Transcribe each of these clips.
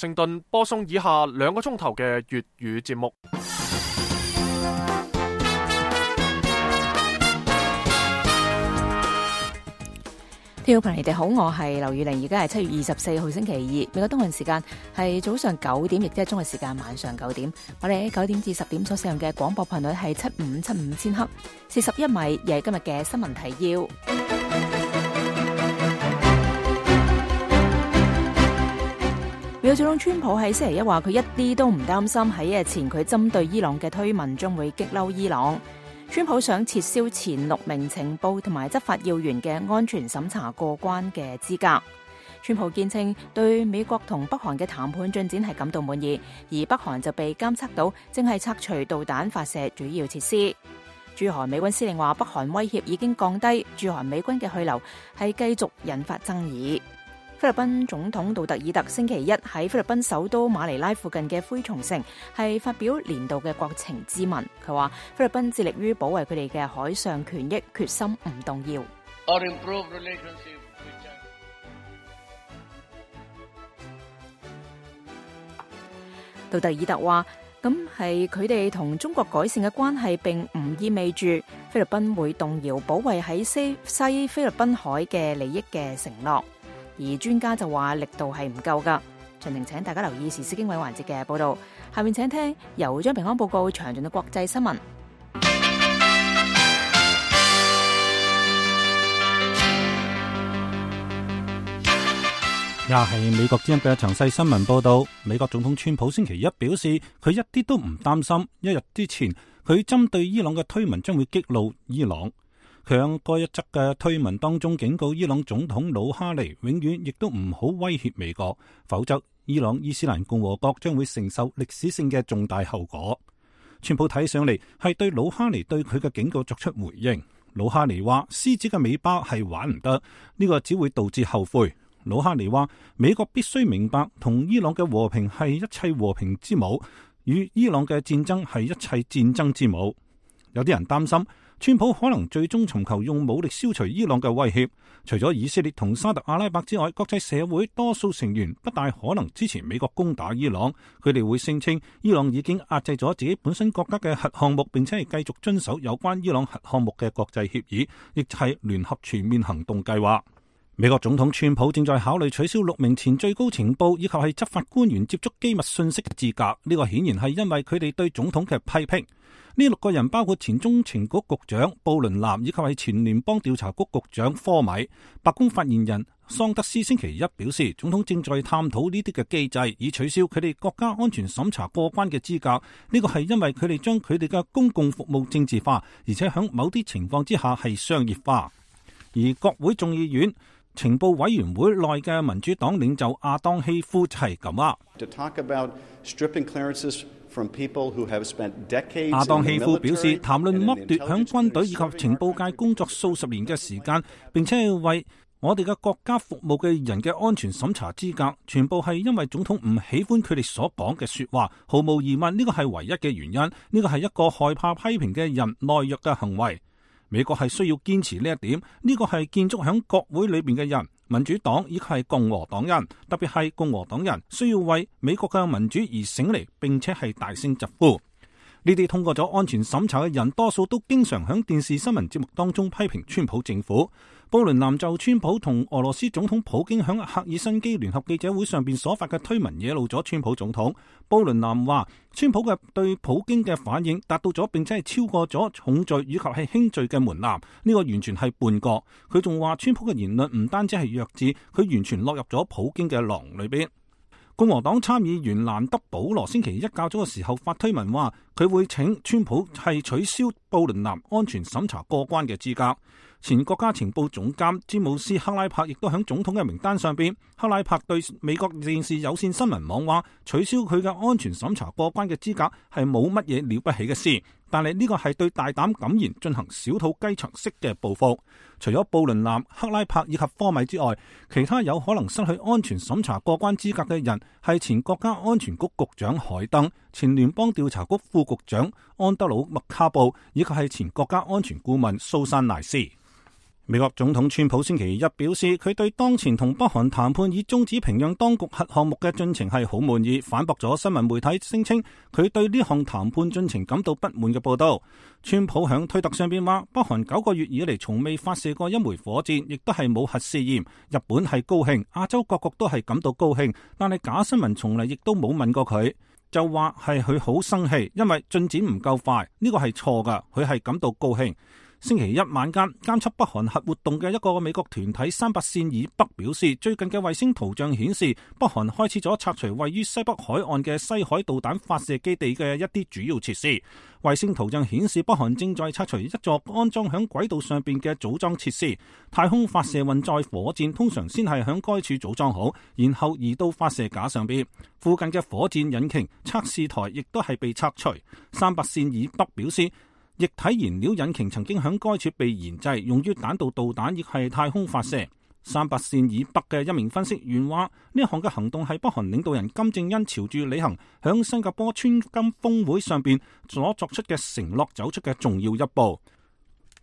盛頓播送以下2個鐘頭嘅粵語節目。聽眾朋友你哋好，我係劉宇玲，而家係7月24號星期2，美國東岸時間係早上9點，亦即係中國時間晚上9點。我哋喺9點至10點所使用嘅廣播頻率係7575千赫，41米，亦係今日嘅新聞提要。美國總統川普喺星期一話，佢一啲都唔擔心喺一日前佢針對伊朗嘅推文將會激嬲伊朗。川普想撤銷前6名情報同埋執法要員嘅安全審查過關嘅資格。川普堅稱對美國同北韓嘅談判進展係感到滿意，而北韓就被監測到正係拆除導彈發射主要設施。駐韓美軍司令話，北韓威脅已經降低，駐韓美軍嘅去留係繼續引發爭議。菲律賓總統杜特爾特星期一喺菲律賓首都馬尼拉附近嘅灰松城係發表年度嘅國情咨文。佢話菲律賓致力於保衛佢哋嘅海上權益，決心唔動搖。杜特爾特話，咁係佢哋同中國改善嘅關係，並唔意味住菲律賓會動搖保衛喺西菲律賓海嘅利益嘅承諾。而專家就話力度係唔夠㗎。詳情請大家留意時事經緯環節嘅報導。下面請聽由張平安報告詳盡嘅國際新聞。係美國之音嘅詳細新聞報導。美國總統川普星期一表示，佢一啲都唔擔心一日之前佢針對伊朗嘅推文將會激怒伊朗。佢喺該一則嘅推文當中警告伊朗總統魯哈尼永遠亦都唔好威脅美國，否則伊朗伊斯蘭共和國將會承受歷史性嘅重大後果。川普睇上嚟係對魯哈尼對佢嘅警告作出回應。魯哈尼話獅子嘅尾巴係玩唔得，呢個只會導致後悔。魯哈尼話美國必須明白同伊朗嘅和平係一切和平之母，與伊朗嘅戰爭係一切戰爭之母。有啲人擔心川普可能最終尋求用武力消除伊朗嘅威脅。除咗以色列同沙特阿拉伯之外，國際社會多數成員不大可能支持美國攻打伊朗。佢哋會聲稱伊朗已經壓制咗自己本身國家嘅核項目，並且係繼續遵守有關伊朗核項目嘅國際協議，亦係聯合全面行動計劃。美國總統川普正在考慮取消6名前最高情報以及係執法官員接觸機密信息嘅資格。呢個顯然係因為佢哋對總統嘅批評。呢6個人包括前中情局局長布倫南以及係前聯邦調查局局長科米。白宮發言人桑德斯星期一表示，總統正在探討呢啲嘅機制，以取消佢哋國家安全審查過關嘅資格。呢個係因為佢哋將佢哋嘅公共服務政治化，而且喺某啲情況之下係商業化。而國會眾議院情報委員會內嘅民主黨領袖亞當希夫就係咁話。亞當希夫表示，談論剝奪響軍隊以及情報界工作數十年嘅時間，並且係為我哋嘅國家服務嘅人嘅安全審查資格，全部係因為總統唔喜歡佢哋所講嘅說話。毫無疑問，呢個係唯一嘅原因。呢個係一個害怕批評嘅人懦弱嘅行為。美國係需要堅持呢一點，呢個係建築喺國會裏邊嘅人，民主黨以及係共和黨人，特別係共和黨人需要為美國嘅民主而醒嚟，並且係大聲疾呼。呢啲通過咗安全審查嘅人，多數都經常喺電視新聞節目當中批評川普政府。布倫南就川普同俄羅斯總統普京喺赫爾辛基聯合記者會上邊所發嘅推文惹怒咗川普總統。布倫南話，川普嘅對普京嘅反應達到咗並且係超過咗重罪以及係輕罪嘅門檻，呢個完全係叛國。佢仲話川普嘅言論唔單止係弱智，佢完全落入咗普京嘅囊裏邊。共和黨參議員蘭德保羅星期一較早嘅時候發推文話，佢會請川普係取消布倫南安全審查過關嘅資格。前國家情報總監詹姆斯克拉柏亦都喺總統嘅名單上邊。克拉柏對美國電視有線新聞網話，取消佢嘅安全審查過關嘅資格係冇乜嘢了不起嘅事，但係呢個係對大膽敢言進行小肚雞腸式嘅報復。除咗布倫南、克拉柏以及科米之外，其他有可能失去安全審查過關資格嘅人係前國家安全局局長海登、前聯邦調查局副局長安德魯麥卡布以及係前國家安全顧問蘇珊賴斯。美國總統川普星期一表示，佢對當前同北韓談判以終止平壤當局核項目嘅進程係好滿意，反駁咗新聞媒體聲稱佢對呢項談判進程感到不滿嘅報道。川普響推特上邊話，北韓9個月以嚟從未發射過一枚火箭，亦都係冇核試驗。日本係高興，亞洲各國都係感到高興，但係假新聞從嚟亦都冇問過佢，就話係佢好生氣，因為進展唔夠快，呢個係錯㗎，佢係感到高興。星期一晚間，監測北韓核活動嘅一個美國團體300線以北表示，最近嘅衛星圖像顯示，北韓開始咗拆除位於西北海岸嘅西海導彈發射基地嘅一啲主要設施。衛星圖像顯示，北韓正在拆除一座安裝響軌道上邊嘅組裝設施。太空發射運載火箭通常先係響該處組裝好，然後移到發射架上邊。附近嘅火箭引擎測試台亦都係被拆除。300線以北表示，液體燃料引擎曾經響該處被研製，用於彈道導彈亦係太空發射。300線以北嘅一名分析員話，呢項嘅行動係北韓領導人金正恩朝住履行響新加坡川金峰會上邊所作出嘅承諾走出嘅重要一步。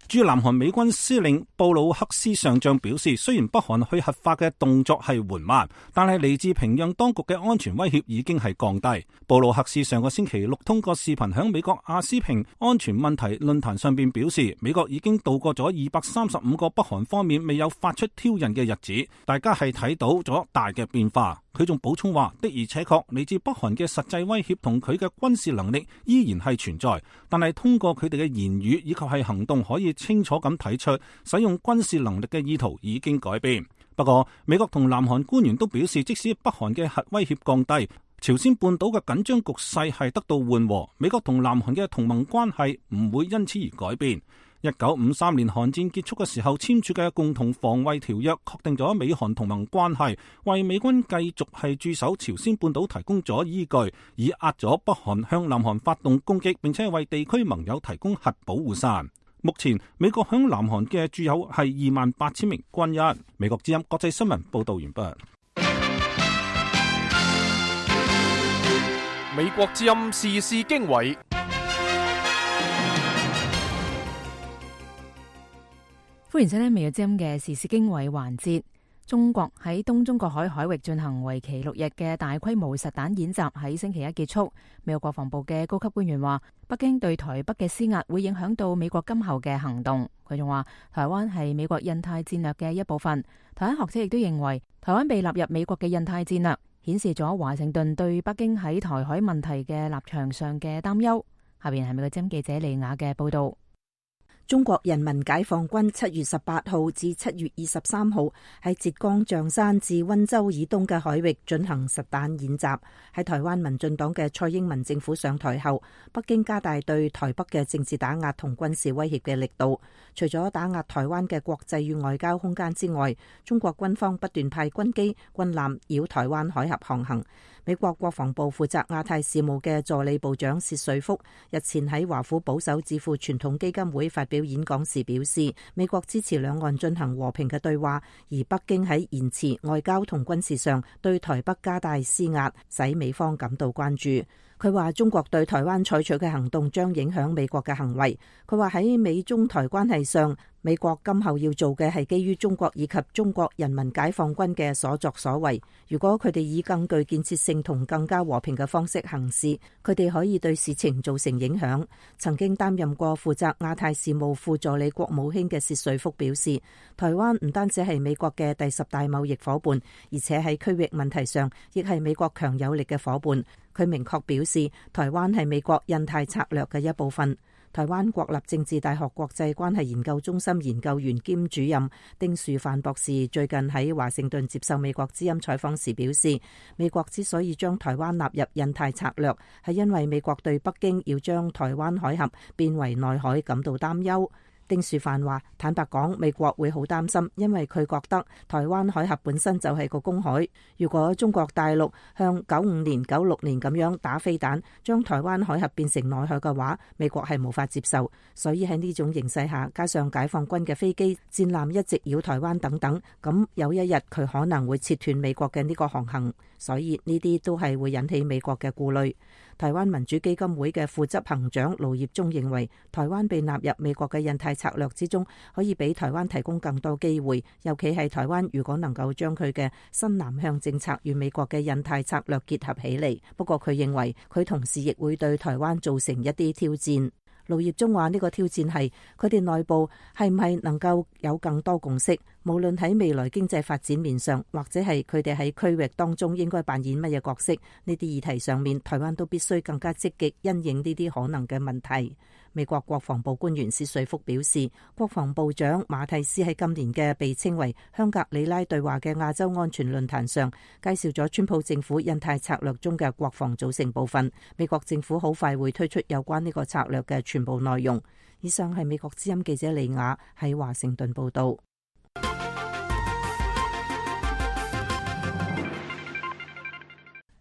駐南韓美軍司令布魯克斯上將表示，雖然北韓去核化嘅動作係緩慢，但係嚟自平壤當局嘅安全威脅已經係降低。布魯克斯上個星期六通過視頻響美國亞斯平安全問題論壇上邊表示，美國已經度過咗235個北韓方面未有發出挑釁嘅日子，大家係睇到咗大嘅變化。佢仲補充話，的而且確嚟自北韓嘅實際威脅同佢嘅軍事能力依然係存在，但係通過佢哋嘅言語以及係行動可以清楚咁睇出使用軍事能力嘅意圖已經改變。不過美國同南韓官員都表示，即使北韓嘅核威脅降低，朝鮮半島嘅緊張局勢係得到緩和，美國同南韓嘅同盟關係唔會因此而改變。1953年韓戰結束嘅時候簽署嘅共同防衛條約確定咗美韓同盟關係，為美軍繼續係駐守朝鮮半島提供咗依據，以壓咗北韓向南韓發動攻擊，並且為地區盟友提供核保護傘。目前美國響南韓嘅駐有係28,000名軍人。美國之音國際新聞報道完畢。美國之音時事經緯。歡迎收聽美國之音嘅時事經緯環節。中國喺東中國海海域進行為期6日嘅大規模實彈演習喺星期一結束。美國國防部嘅高級官員話，北京對台北嘅施壓會影響到美國今後嘅行動。佢仲話，台灣係美國印太戰略嘅一部分。台灣學者亦都認為，台灣被納入美國嘅印太戰略，顯示咗華盛頓對北京喺台海問題嘅立場上嘅擔憂。下邊係美國之音記者利雅嘅報道。中國人民解放軍7月18號至7月23號喺浙江象山至溫州以東嘅海域進行實彈演習。喺台灣民進黨嘅蔡英文政府上台後，北京加大對台北嘅政治打壓同軍事威脅嘅力度。除咗打壓台灣嘅國際與外交空間之外，中國軍方不斷派軍機、軍艦繞台灣海峽航行。美國國防部負責亞太事務嘅助理部長薛瑞福日前喺華府保守智庫傳統基金會發表演講時表示，美國支持兩岸進行和平嘅對話，而北京喺言辭、外交同軍事上對台北加大施壓，使美方感到關注。佢話中國對台灣採取嘅行動將影響美國嘅行為。佢話喺美中台關係上，美國今後要做嘅係基於中國以及中國人民解放軍嘅所作所為。如果佢哋以更具建設性同更加和平嘅方式行事，佢哋可以對事情造成影響。曾經擔任過負責亞太事務副助理國務卿嘅薛瑞福表示，台灣唔單止係美國嘅第10大貿易夥伴，而且喺區域問題上亦係美國強有力嘅夥伴。佢明確表示，台灣係美國印太策略嘅一部分。台灣國立政治大學國際關係研究中心研究員兼主任丁樹範博士最近喺華盛頓接受美國之音採訪時表示，美國之所以將台灣納入印太策略，係因為美國對北京要將台灣海峽變為內海感到擔憂。丁樹範話，坦白講，美國會好擔心，因為佢覺得台灣海峽本身就係個公海。如果中國大陸向95年、96年咁樣打飛彈，將台灣海峽變成內海嘅話，美國係無法接受。所以喺呢種形勢下，加上解放軍嘅飛機、戰艦一直繞台灣等等，咁有一日佢可能會切斷美國嘅呢個航行。所以呢啲都係會引起美國嘅顧慮。台灣民主基金會嘅副執行長盧業中認為，台灣被納入美國嘅印太策略之中，可以俾台灣提供更多機會，尤其係台灣如果能夠將佢嘅新南向政策與美國嘅印太策略結合起嚟。不過佢認為佢同時亦會對台灣造成一啲挑戰。盧業中話呢個挑戰係佢哋內部係唔係能夠有更多共識，無論喺未來經濟發展面上，或者係佢哋喺區域當中應該扮演乜嘢角色，呢啲議題上面，台灣都必須更加積極因應呢啲可能嘅問題。美國國防部官員薛瑞福表示，國防部長馬蒂斯喺今年嘅被稱為香格里拉對話嘅亞洲安全論壇上，介紹咗川普政府印太策略中嘅國防組成部分。美國政府好快會推出有關呢個策略嘅全部內容。以上係美國之音記者李雅喺華盛頓報道。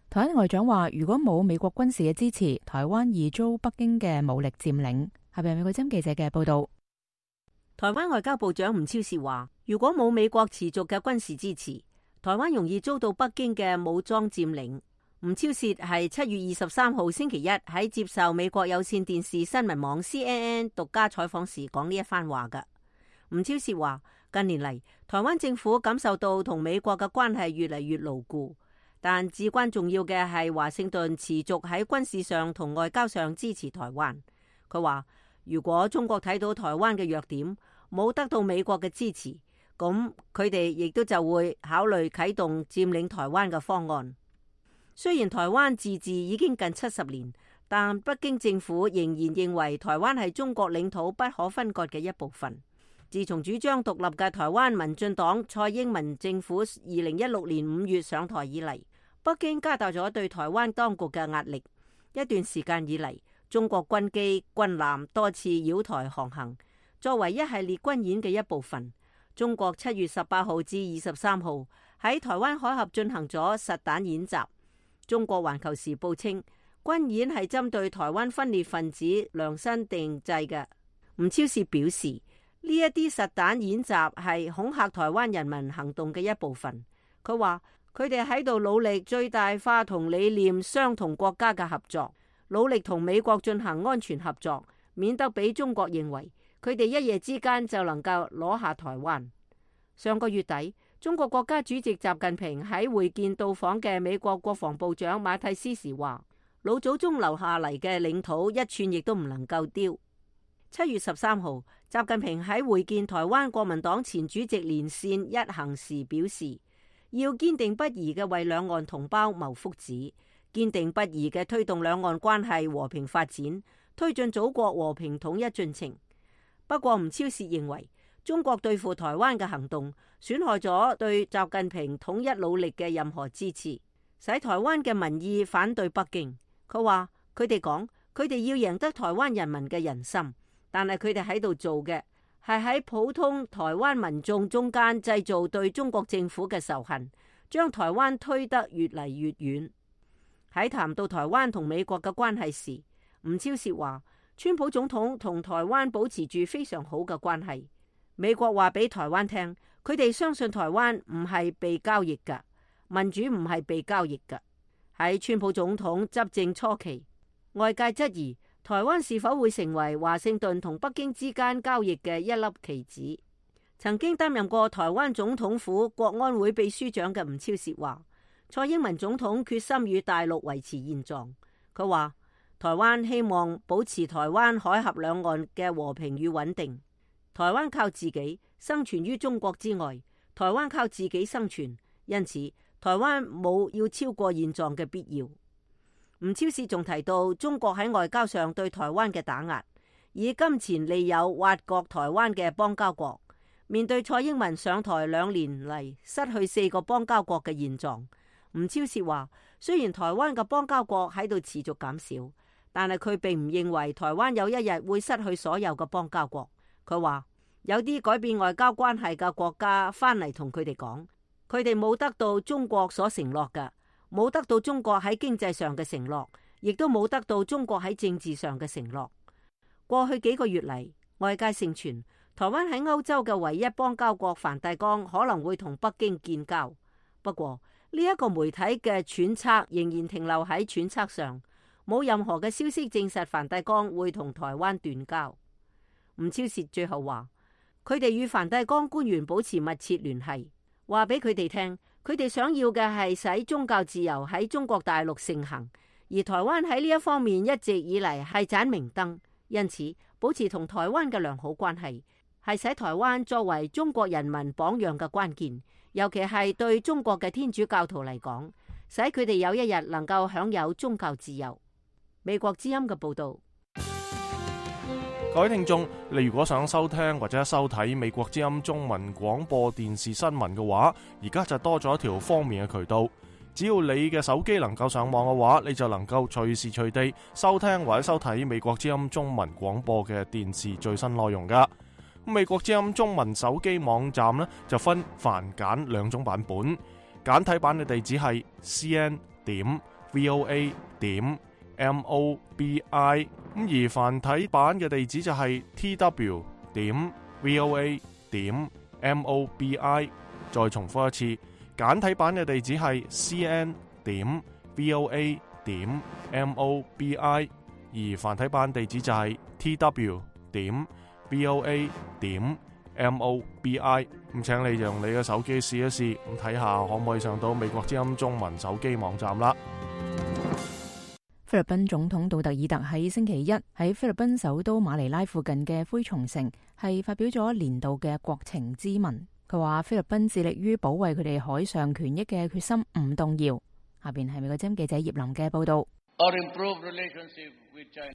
台灣外長話，如果冇美國軍事嘅支持，台灣易遭北京嘅武力佔領。係咪美國之音記者嘅報道？台灣外交部長吳釗燮話，如果冇美國持續嘅軍事支持，台灣容易遭到北京嘅武裝佔領。吳釗燮係7月23號星期一喺接受美國有線電視新聞網 CNN 獨家採訪時講呢一番話㗎。吳釗燮話，近年嚟，台灣政府感受到同美國嘅關係越嚟越牢固。但至關重要嘅係華盛頓持續喺軍事上同外交上支持台灣。佢話，如果中國睇到台灣嘅弱點，冇得到美國嘅支持，咁佢哋亦都就會考慮啟動佔領台灣嘅方案。雖然台灣自治已經近70年，但北京政府仍然認為台灣係中國領土不可分割嘅一部分。自從主張獨立嘅台灣民進黨蔡英文政府2016年5月上台以嚟，北京加大咗對台灣當局嘅壓力。一段時間以嚟，中國軍機軍艦多次擾台航行，作為一系列軍演嘅一部分。中國7月18號至23號喺台灣海峽進行咗實彈演習。中國環球時報稱，軍演係針對台灣分裂分子量身定製嘅。吳釗燮表示，呢一啲實彈演習係恐嚇台灣人民行動嘅一部分。佢話佢哋喺度努力最大化同理念相同國家嘅合作，努力同美國進行安全合作，免得俾中國認為佢哋一夜之間就能夠攞下台灣。上個月底，中國國家主席習近平喺會見到訪嘅美國國防部長馬蒂斯時話，老祖宗留下嚟嘅領土一寸亦都唔能夠丟。7月13號，習近平喺會見台灣國民黨前主席連線一行時表示，要堅定不移嘅為兩岸同胞謀福祉，堅定不移嘅推動兩岸關係和平發展，推進祖國和平統一進程。不過吳釗燮認為，中國對付台灣嘅行動損害咗對習近平統一努力嘅任何支持，使台灣嘅民意反對北京。佢話佢哋講，佢哋要贏得台灣人民嘅人心。但係佢哋喺度做嘅係喺普通台灣民眾中間製造對中國政府嘅仇恨，將台灣推得越嚟越遠。喺談到台灣同美國嘅關係時，吳釗燮話，川普總統同台灣保持住非常好嘅關係。美國話俾台灣聽，佢哋相信台灣唔係被交易㗎，民主唔係被交易㗎。喺川普總統執政初期，外界質疑台灣是否會成為華盛頓同北京之間交易嘅一粒棋子。曾經擔任過台灣總統府國安會秘書長嘅吳釗燮話，蔡英文總統決心與大陸維持現狀。佢話台灣希望保持台灣海峽兩岸嘅和平與穩定。台灣靠自己生存於中國之外，台灣靠自己生存，因此台灣冇要超過現狀嘅必要。吳釗燮仲提到中國喺外交上對台灣嘅打壓，以金錢利誘挖角台灣嘅邦交國。面對蔡英文上台2年嚟失去4個邦交國嘅現狀，吳釗燮話，雖然台灣嘅邦交國喺度持續減少，但係佢並唔認為台灣有一日會失去所有嘅邦交國。佢話有啲改變外交關係嘅國家翻嚟同佢哋講，佢哋冇得到中國所承諾嘅。冇得到中國喺經濟上嘅承諾，亦都冇得到中國喺政治上嘅承諾。過去幾個月嚟，外界盛傳台灣喺歐洲嘅唯一邦交國梵蒂岡可能會同北京建交。不過呢一個媒體嘅揣測仍然停留喺揣測上，冇任何嘅消息證實梵蒂岡會同台灣斷交。吳釗燮最後話，佢哋與梵蒂岡官員保持密切聯繫，話俾佢哋聽，佢哋想要嘅係使宗教自由喺中國大陸盛行，而台灣喺呢一方面一直以嚟係盞明燈，因此保持同台灣嘅良好關係係使台灣作為中國人民榜樣嘅關鍵，尤其係對中國嘅天主教徒嚟講，使佢哋有一日能夠享有宗教自由。美國之音嘅報道。各位聽眾，你如果想收聽或者收睇美國之音中文廣播電視新聞嘅話，而家就多咗一條方便嘅渠道。只要你嘅手機能夠上網嘅話，你就能夠隨時隨地收聽或者收睇美國之音中文廣播嘅電視最新內容噶。美國之音中文手機網站呢，就分繁簡兩種版本，簡體版嘅地址係 cn.voa.mobi， 而繁體版嘅地址就係 tw.voa.mobi。 再重複一次，簡體版嘅地址係 cn.voa.mobi， 而繁體版地址就係 tw.voa.mobi。 咁請你用你嘅手機試一試，咁睇下可唔可以上到美國之音中文手機網站啦。菲律賓總統杜特爾特喺星期一喺菲律賓首都馬尼拉附近嘅灰松城係發表咗年度嘅國情咨文。佢話菲律賓致力於保衛佢哋海上權益嘅決心唔動搖。下邊係美國之音記者葉林嘅報道。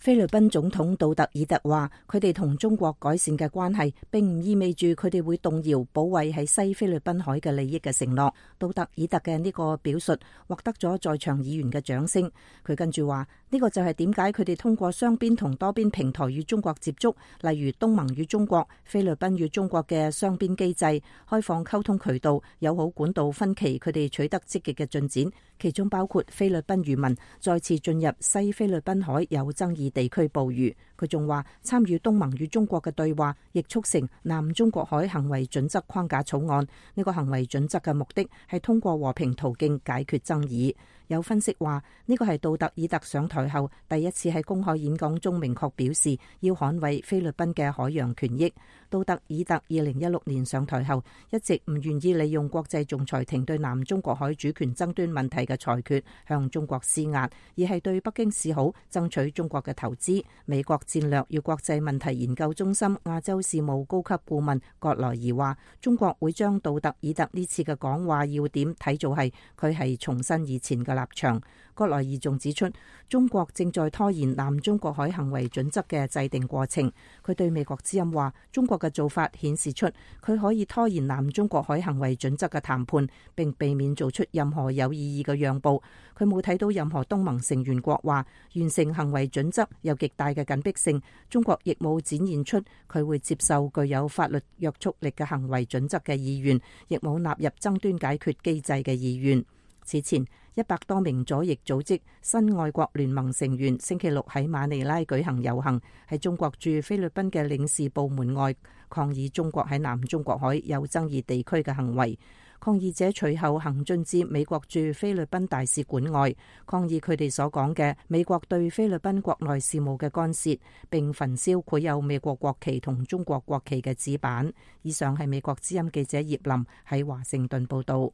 菲律賓總統杜特爾特話，佢哋同中國改善嘅關係並唔意味住佢哋會動搖保衛喺西菲律賓海嘅利益嘅承諾。杜特爾特嘅呢個表述獲得咗在場議員嘅掌聲。佢跟住話，呢個就係點解佢哋通過雙邊同多邊平台與中國接觸，例如東盟與中國、菲律賓與中國嘅雙邊機制、開放溝通渠道、友好管道分歧，佢哋取得積極嘅進展，其中包括菲律賓漁民再次進入西菲律賓海有爭議地區捕魚。佢仲話，參與東盟與中國嘅對話，亦促成南中國海行為準則框架草案。呢個行為準則嘅目的係通過和平途徑解決爭議。有分析話，呢個係杜特爾特上台後第一次喺公開演講中明確表示要捍衛菲律賓嘅海洋權益。杜特爾特2016年上台後，一直唔願意利用國際仲裁庭對南中國海主權爭端問題嘅裁決向中國施壓，而係對北京示好，爭取中國嘅投資。美國戰略與國際問題研究中心亞洲事務高級顧問葛萊儀話，中國會將杜特爾特呢次嘅講話要點睇做係佢係重申以前嘅立場。葛萊儀仲指出，中國正在拖延南中國海行為準則嘅制定過程。佢對美國之音話，中國嘅做法顯示出佢可以拖延南中國海行為準則嘅談判，並避免做出任何有意義嘅讓步。佢冇睇到任何東盟成員國話完成行為準則有極大嘅緊迫性。中國亦冇展現出佢會接受具有法律約束力嘅行為準則嘅意願，亦冇納入爭端解決機制嘅意願。此前，100多名左翼組織新愛國聯盟成員星期六喺馬尼拉舉行遊行，喺中國駐菲律賓嘅領事部門外抗議中國喺南中國海有爭議地區嘅行為。抗議者隨後行進至美國駐菲律賓大使館外，抗議佢哋所講嘅美國對菲律賓國內事務嘅干涉，並焚燒繪有美國國旗同中國國旗嘅紙板。以上係美國之音記者葉林喺華盛頓報道。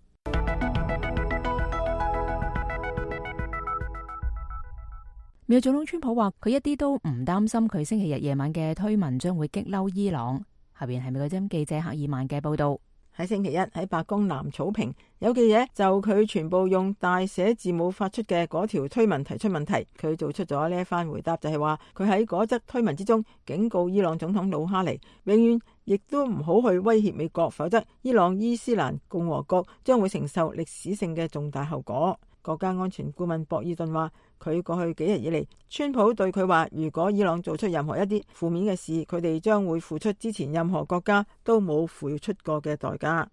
美國總統川普話，佢一啲都唔擔心佢星期日夜晚嘅推文將會激嬲伊朗。下邊係美國之音記者赫爾曼嘅報道。喺星期一喺白宮南草坪，有記者就佢全部用大寫字母發出嘅嗰條推文提出問題。佢做出咗呢一番回答，就係話佢喺嗰則推文之中警告伊朗總統魯哈尼，永遠亦都唔好去威脅美國，否則伊朗伊斯蘭共和國將會承受歷史性嘅重大後果。國家安全顧問博爾頓話，佢過去幾日以嚟，川普對佢話，如果伊朗做出任何一啲負面嘅事，佢哋將會付出之前任何國家都冇付出過嘅代價。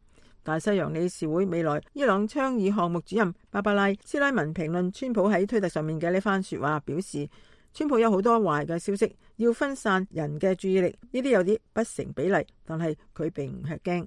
大西洋理事會未來伊朗倡議項目主任芭芭拉斯拉文評論川普喺推特上面嘅呢番說話，表示川普有好多壞嘅消息，要分散人嘅注意力，呢啲有啲不成比例，但係佢並唔吃驚。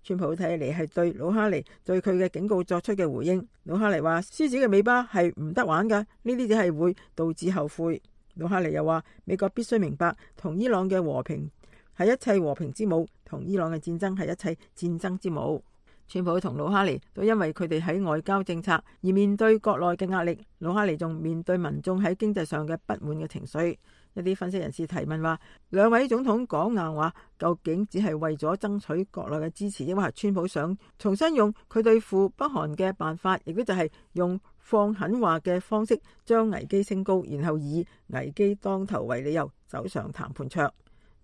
川普睇嚟係對魯哈尼對佢嘅警告作出嘅回應。魯哈尼話：獅子嘅尾巴係唔得玩㗎，呢啲只係會導致後悔。魯哈尼又話：美國必須明白，同伊朗嘅和平係一切和平之母，同伊朗嘅戰爭係一切戰爭之母。川普同魯哈尼都因為佢哋喺外交政策而面對國內嘅壓力，魯哈尼仲面對民眾喺經濟上嘅不滿嘅情緒。一啲分析人士提問話，兩位總統講硬話，究竟只係為咗爭取國內嘅支持，抑或係川普想重新用佢對付北韓嘅辦法，亦都就係用放狠話嘅方式將危機升高，然後以危機當頭為理由走上談判桌。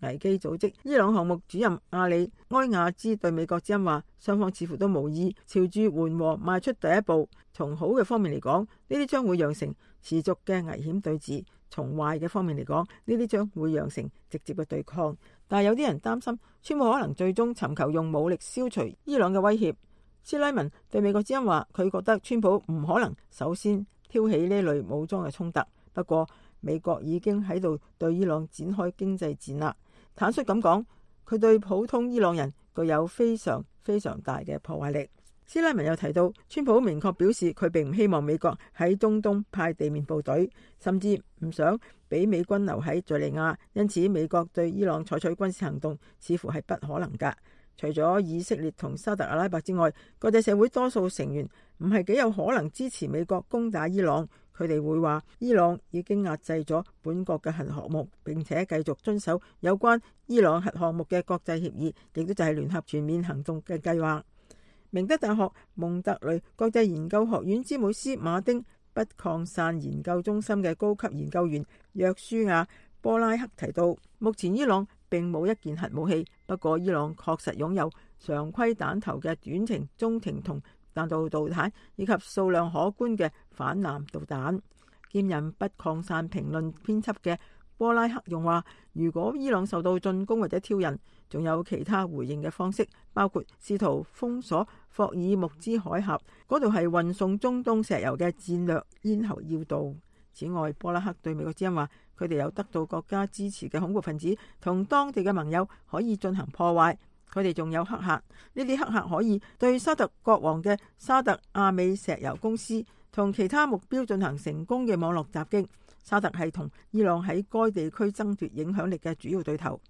危機組織伊朗項目主任阿里埃亞茲對美國之音話，雙方似乎都無意朝住緩和邁出第一步。從好嘅方面嚟講，呢啲將會釀成持續嘅危險對峙；從壞嘅方面嚟講，呢啲將會釀成直接嘅對抗。但係有啲人擔心，川普可能最終尋求用武力消除伊朗嘅威脅。斯拉文對美國之音話，佢覺得川普唔可能首先挑起呢類武裝嘅衝突。不過美國已經喺度對伊朗展開經濟戰啦。坦率咁講，佢對普通伊朗人具有非常非常大嘅破壞力。斯拉文又提到，川普明確表示佢並唔希望美國喺中東派地面部隊，甚至唔想俾美軍留喺敘利亞，因此美國對伊朗採取軍事行動似乎係不可能㗎。除咗以色列同沙特阿拉伯之外，國際社會多數成員唔係幾有可能支持美國攻打伊朗。佢哋會話，伊朗已經壓制咗本國嘅核項目，並且繼續遵守有關伊朗核項目嘅國際協議，亦都就係聯合全面行動嘅計劃。明德大學蒙特雷國際研究學院詹姆斯馬丁不擴散研究中心嘅高級研究員約書亞波拉克提到，目前伊朗並冇一件核武器，不過伊朗確實擁有常規彈頭嘅短程、中程同彈道導彈，以及數量可觀嘅反艦導彈。兼任不擴散評論編輯嘅波拉克用話，如果伊朗受到進攻或者挑釁，仲有其他回應嘅方式，包括試圖封鎖霍爾木茲海峽，嗰度係運送中東石油嘅戰略咽喉要道。此外，波拉克對美國之音話，佢哋有得到國家支持嘅恐怖分子同當地嘅盟友可以進行破壞。佢哋仲有黑客，呢啲黑客可以對沙特國王嘅沙特阿美石油公司同其他目標進行成功嘅網絡襲擊。沙特係同伊朗喺該地區爭奪影響力嘅主要對頭。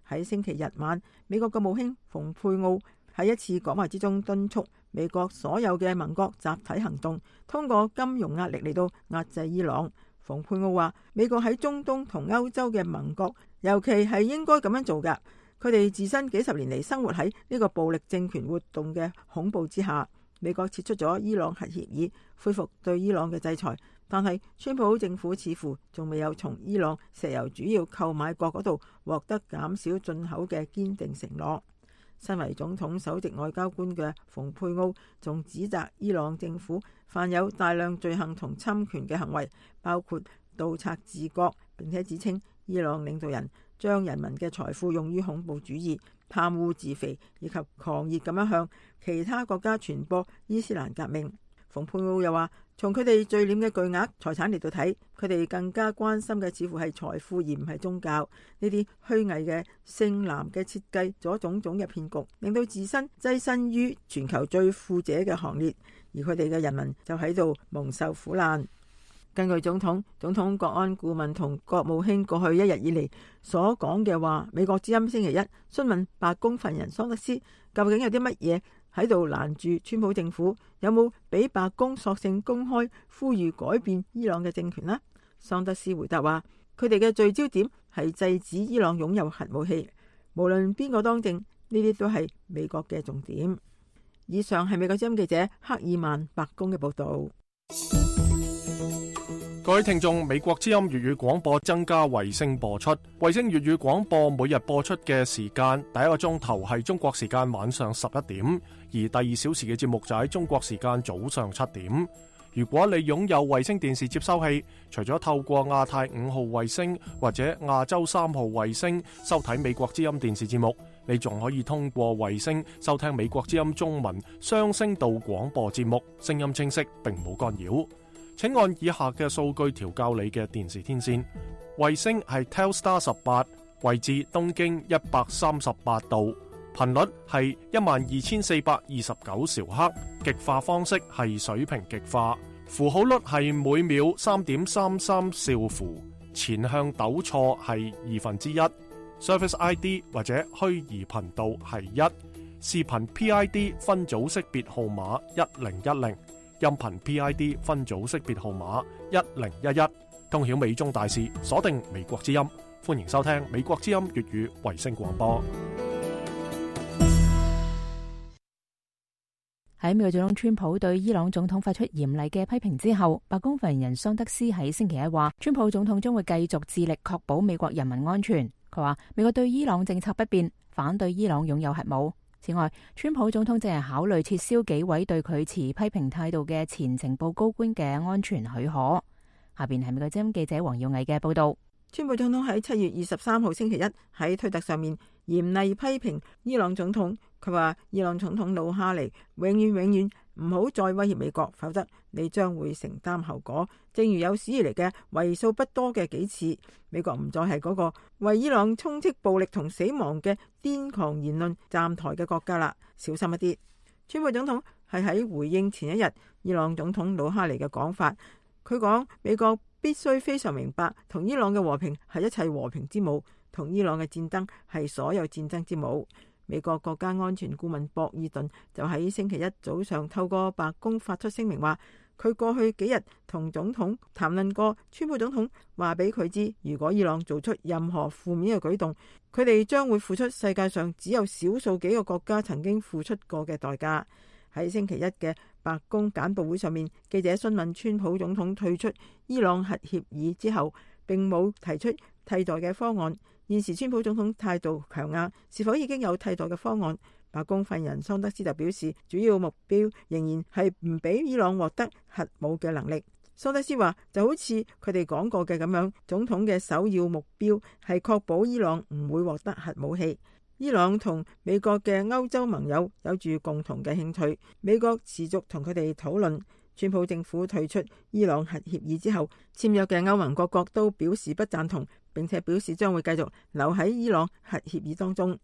喺星期日晚，美國國務卿蓬佩奧喺一次講話之中敦促美國所有嘅盟國集體行動，通過金融壓力嚟到壓制伊朗。蓬佩奧話，美國喺中東同歐洲嘅盟國，尤其係應該咁樣做㗎。佢哋自身幾十年嚟生活喺呢個暴力政權活動嘅恐怖之下。美國撤出咗伊朗核協議，恢復對伊朗嘅制裁，但係川普政府似乎仲未有從伊朗石油主要購買國嗰度獲得減少進口嘅堅定承諾。身為總統首席外交官嘅蓬佩奧仲指責伊朗政府犯有大量罪行同侵權嘅行為，包括盜賊治國，並且指稱伊朗領導人將人民嘅財富用於恐怖主義、貪污自肥，以及狂熱咁樣向其他國家傳播伊斯蘭革命。蓬佩奧又話，從佢哋聚斂嘅巨額財產嚟到睇，佢哋更加關心嘅似乎係財富而唔係宗教。呢啲虛偽嘅聖藍嘅設計咗種種嘅騙局，令到自身躋身於全球最富者嘅行列，而佢哋嘅人民就喺度蒙受苦難。根據總統國安顧問同國務卿過去一日以嚟所講嘅話，美國之音星期一詢問白宮發言人桑德斯，究竟有啲乜嘢喺度攔住川普政府，有冇俾白宮索性公開呼籲改變伊朗嘅政權呢？桑德斯回答話，佢哋嘅聚焦點係制止伊朗擁有核武器，無論邊個當政，呢啲都係美國嘅重點。以上係美國之音記者克爾曼白宮嘅報道。各位聽眾，美國之音粵語廣播增加衛星播出。衛星粵語廣播每日播出嘅時間，第一個鐘頭係中國時間晚上11點，而第2小時嘅節目就喺中國時間早上7點。如果你擁有衛星電視接收器，除咗透過亞太5號衛星或者亞洲3號衛星收睇美國之音電視節目，你仲可以通過衛星收聽美國之音中文雙聲道廣播節目，聲音清晰並冇干擾。請按以下嘅數據調校你嘅電視天線。衛星係 Telstar 18，位置東經138度；頻率係12429兆赫，極化方式係水平極化，符號率係每秒3.33兆符，前向抖錯係1/2。Service ID 或者虛擬頻道係1，視頻 PID 分組識別號碼1010，音頻 PID 分組識別號碼1011。通曉美中大事，鎖定美國之音，歡迎收聽美國之音粵語衛星廣播。喺美國總統川普對伊朗總統發出嚴厲嘅批評之後，白宮發言人桑德斯喺星期一話，川普總統將會繼續致力確保美國人民安全。佢話美國對伊朗政策不變，反對伊朗擁有核武。此外，川普總統正係考慮撤銷幾位對佢持批評態度嘅前情報高官嘅安全許可。下邊係美國之音記者黃耀毅嘅報道。川普總統喺7月23號星期一喺推特上面嚴厲批評伊朗總統，佢話伊朗總統魯哈尼永遠唔好再威脅美國，否則你將會承擔後果。正如有史以嚟嘅為數不多嘅幾次，美國唔再係嗰個為伊朗充斥暴力同死亡嘅癲狂言論站台嘅國家啦，小心一啲。川普總統係喺回應前一日伊朗總統魯哈尼嘅講法，佢講美國必須非常明白，同伊朗嘅和平係一切和平之母，同伊朗嘅戰爭係所有戰爭之母。美國國家安全顧問博爾頓就喺星期一早上透過白宮發出聲明話，佢過去幾日同總統談論過，川普總統話俾佢知，如果伊朗做出任何負面嘅舉動，佢哋將會付出世界上只有少數幾個國家曾經付出過嘅代價。喺星期一嘅白宮簡報會上面，記者詢問川普總統退出伊朗核協議之後，並冇提出替代嘅方案。現時川普總統態度強硬，是否已經有替代嘅方案？白宮發言人桑德斯就表示，主要目標仍然係唔俾伊朗獲得核武嘅能力。桑德斯話，就好似佢哋講過嘅咁樣，總統嘅首要目標係確保伊朗唔會獲得核武器。伊朗同美國嘅歐洲盟友有住共同嘅興趣，美國持續同佢哋討論。川普政府退出伊朗核協議之後，簽約嘅歐盟各國都表示不贊同，並且表示將會繼續留喺伊朗核協議當中。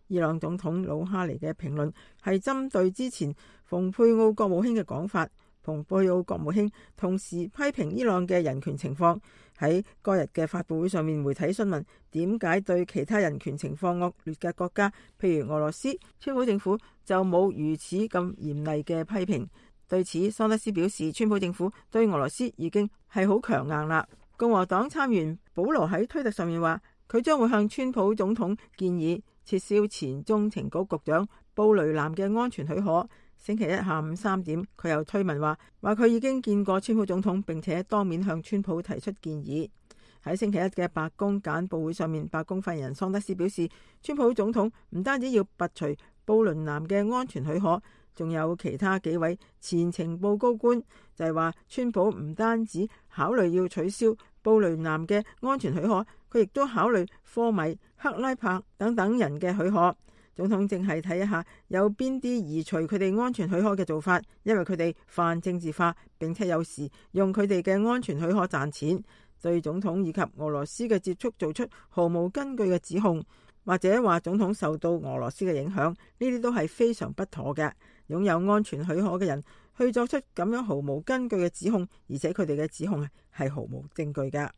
伊朗總統魯哈尼嘅評論係針對之前蓬佩奧國務卿嘅講法。蓬佩奧國務卿同時批評伊朗嘅人權情況。喺該日嘅發佈會上面，媒體詢問點解對其他人權情況惡劣嘅國家，譬如俄羅斯，川普政府就冇如此咁嚴厲嘅批評。對此，桑德斯表示，川普政府對俄羅斯已經係好強硬啦。共和黨參員保羅喺推特上面話，佢將會向川普總統建議撤銷前中情局局長布雷南嘅安全許可。星期一下午3點，佢又推文話佢已經見過川普總統，並且當面向川普提出建議。喺星期一嘅白宮簡報會上面，白宮發言人桑德斯表示，川普總統唔單止要拔除布雷南嘅安全許可，仲有其他幾位前情報高官就係話，川普唔單止考慮要取消布雷南嘅安全許可，佢亦都考慮科米、克拉柏等等人嘅許可。總統正係睇一下有邊啲移除佢哋安全許可嘅做法，因為佢哋泛政治化，並且有時用佢哋嘅安全許可賺錢，對總統以及俄羅斯嘅接觸做出毫無根據嘅指控，或者話總統受到俄羅斯嘅影響，呢啲都係非常不妥嘅。擁有安全許可嘅人去作出咁樣毫無根據嘅指控，而且佢哋嘅指控係毫無證據㗎。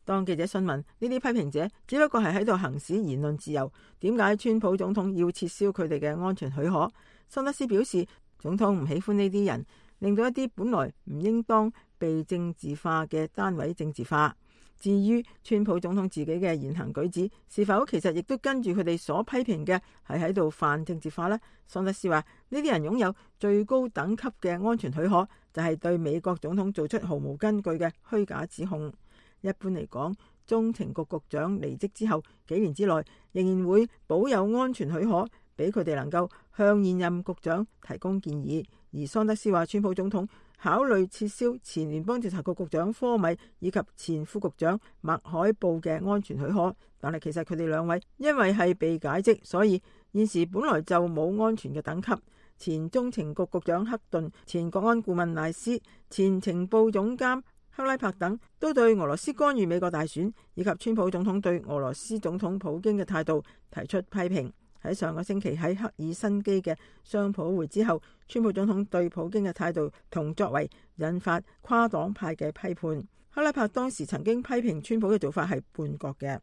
當記者詢問呢啲批評者只不過係喺度行使言論自由，點解川普總統要撤銷佢哋嘅安全許可？桑德斯表示，總統唔喜歡呢啲人，令到一啲本來唔應當被政治化嘅單位政治化。至於川普總統自己嘅言行舉止，是否其實亦都跟住佢哋所批評嘅係喺度泛政治化呢？桑德斯話，呢啲人擁有最高等級嘅安全許可，就係對美國總統做出毫無根據嘅虛假指控。一般嚟講，中情局局長離職之後幾年之內，仍然會保有安全許可，俾佢哋能夠向現任局長提供建議。而桑德斯話，川普總統考慮撤銷前聯邦調查局局長科米以及前副局長麥海布嘅安全許可，但係其實佢哋兩位因為係被解職，所以現時本來就冇安全嘅等級。前中情局局長克頓、前國安顧問賴斯、前情報總監克拉柏等都對俄羅斯干預美國大選以及川普總統對俄羅斯總統普京嘅態度提出批評。喺上個星期喺赫爾辛基嘅雙普會之後，川普總統對普京嘅態度同作為引發跨黨派嘅批判。克拉柏當時曾經批評川普嘅做法係叛國嘅。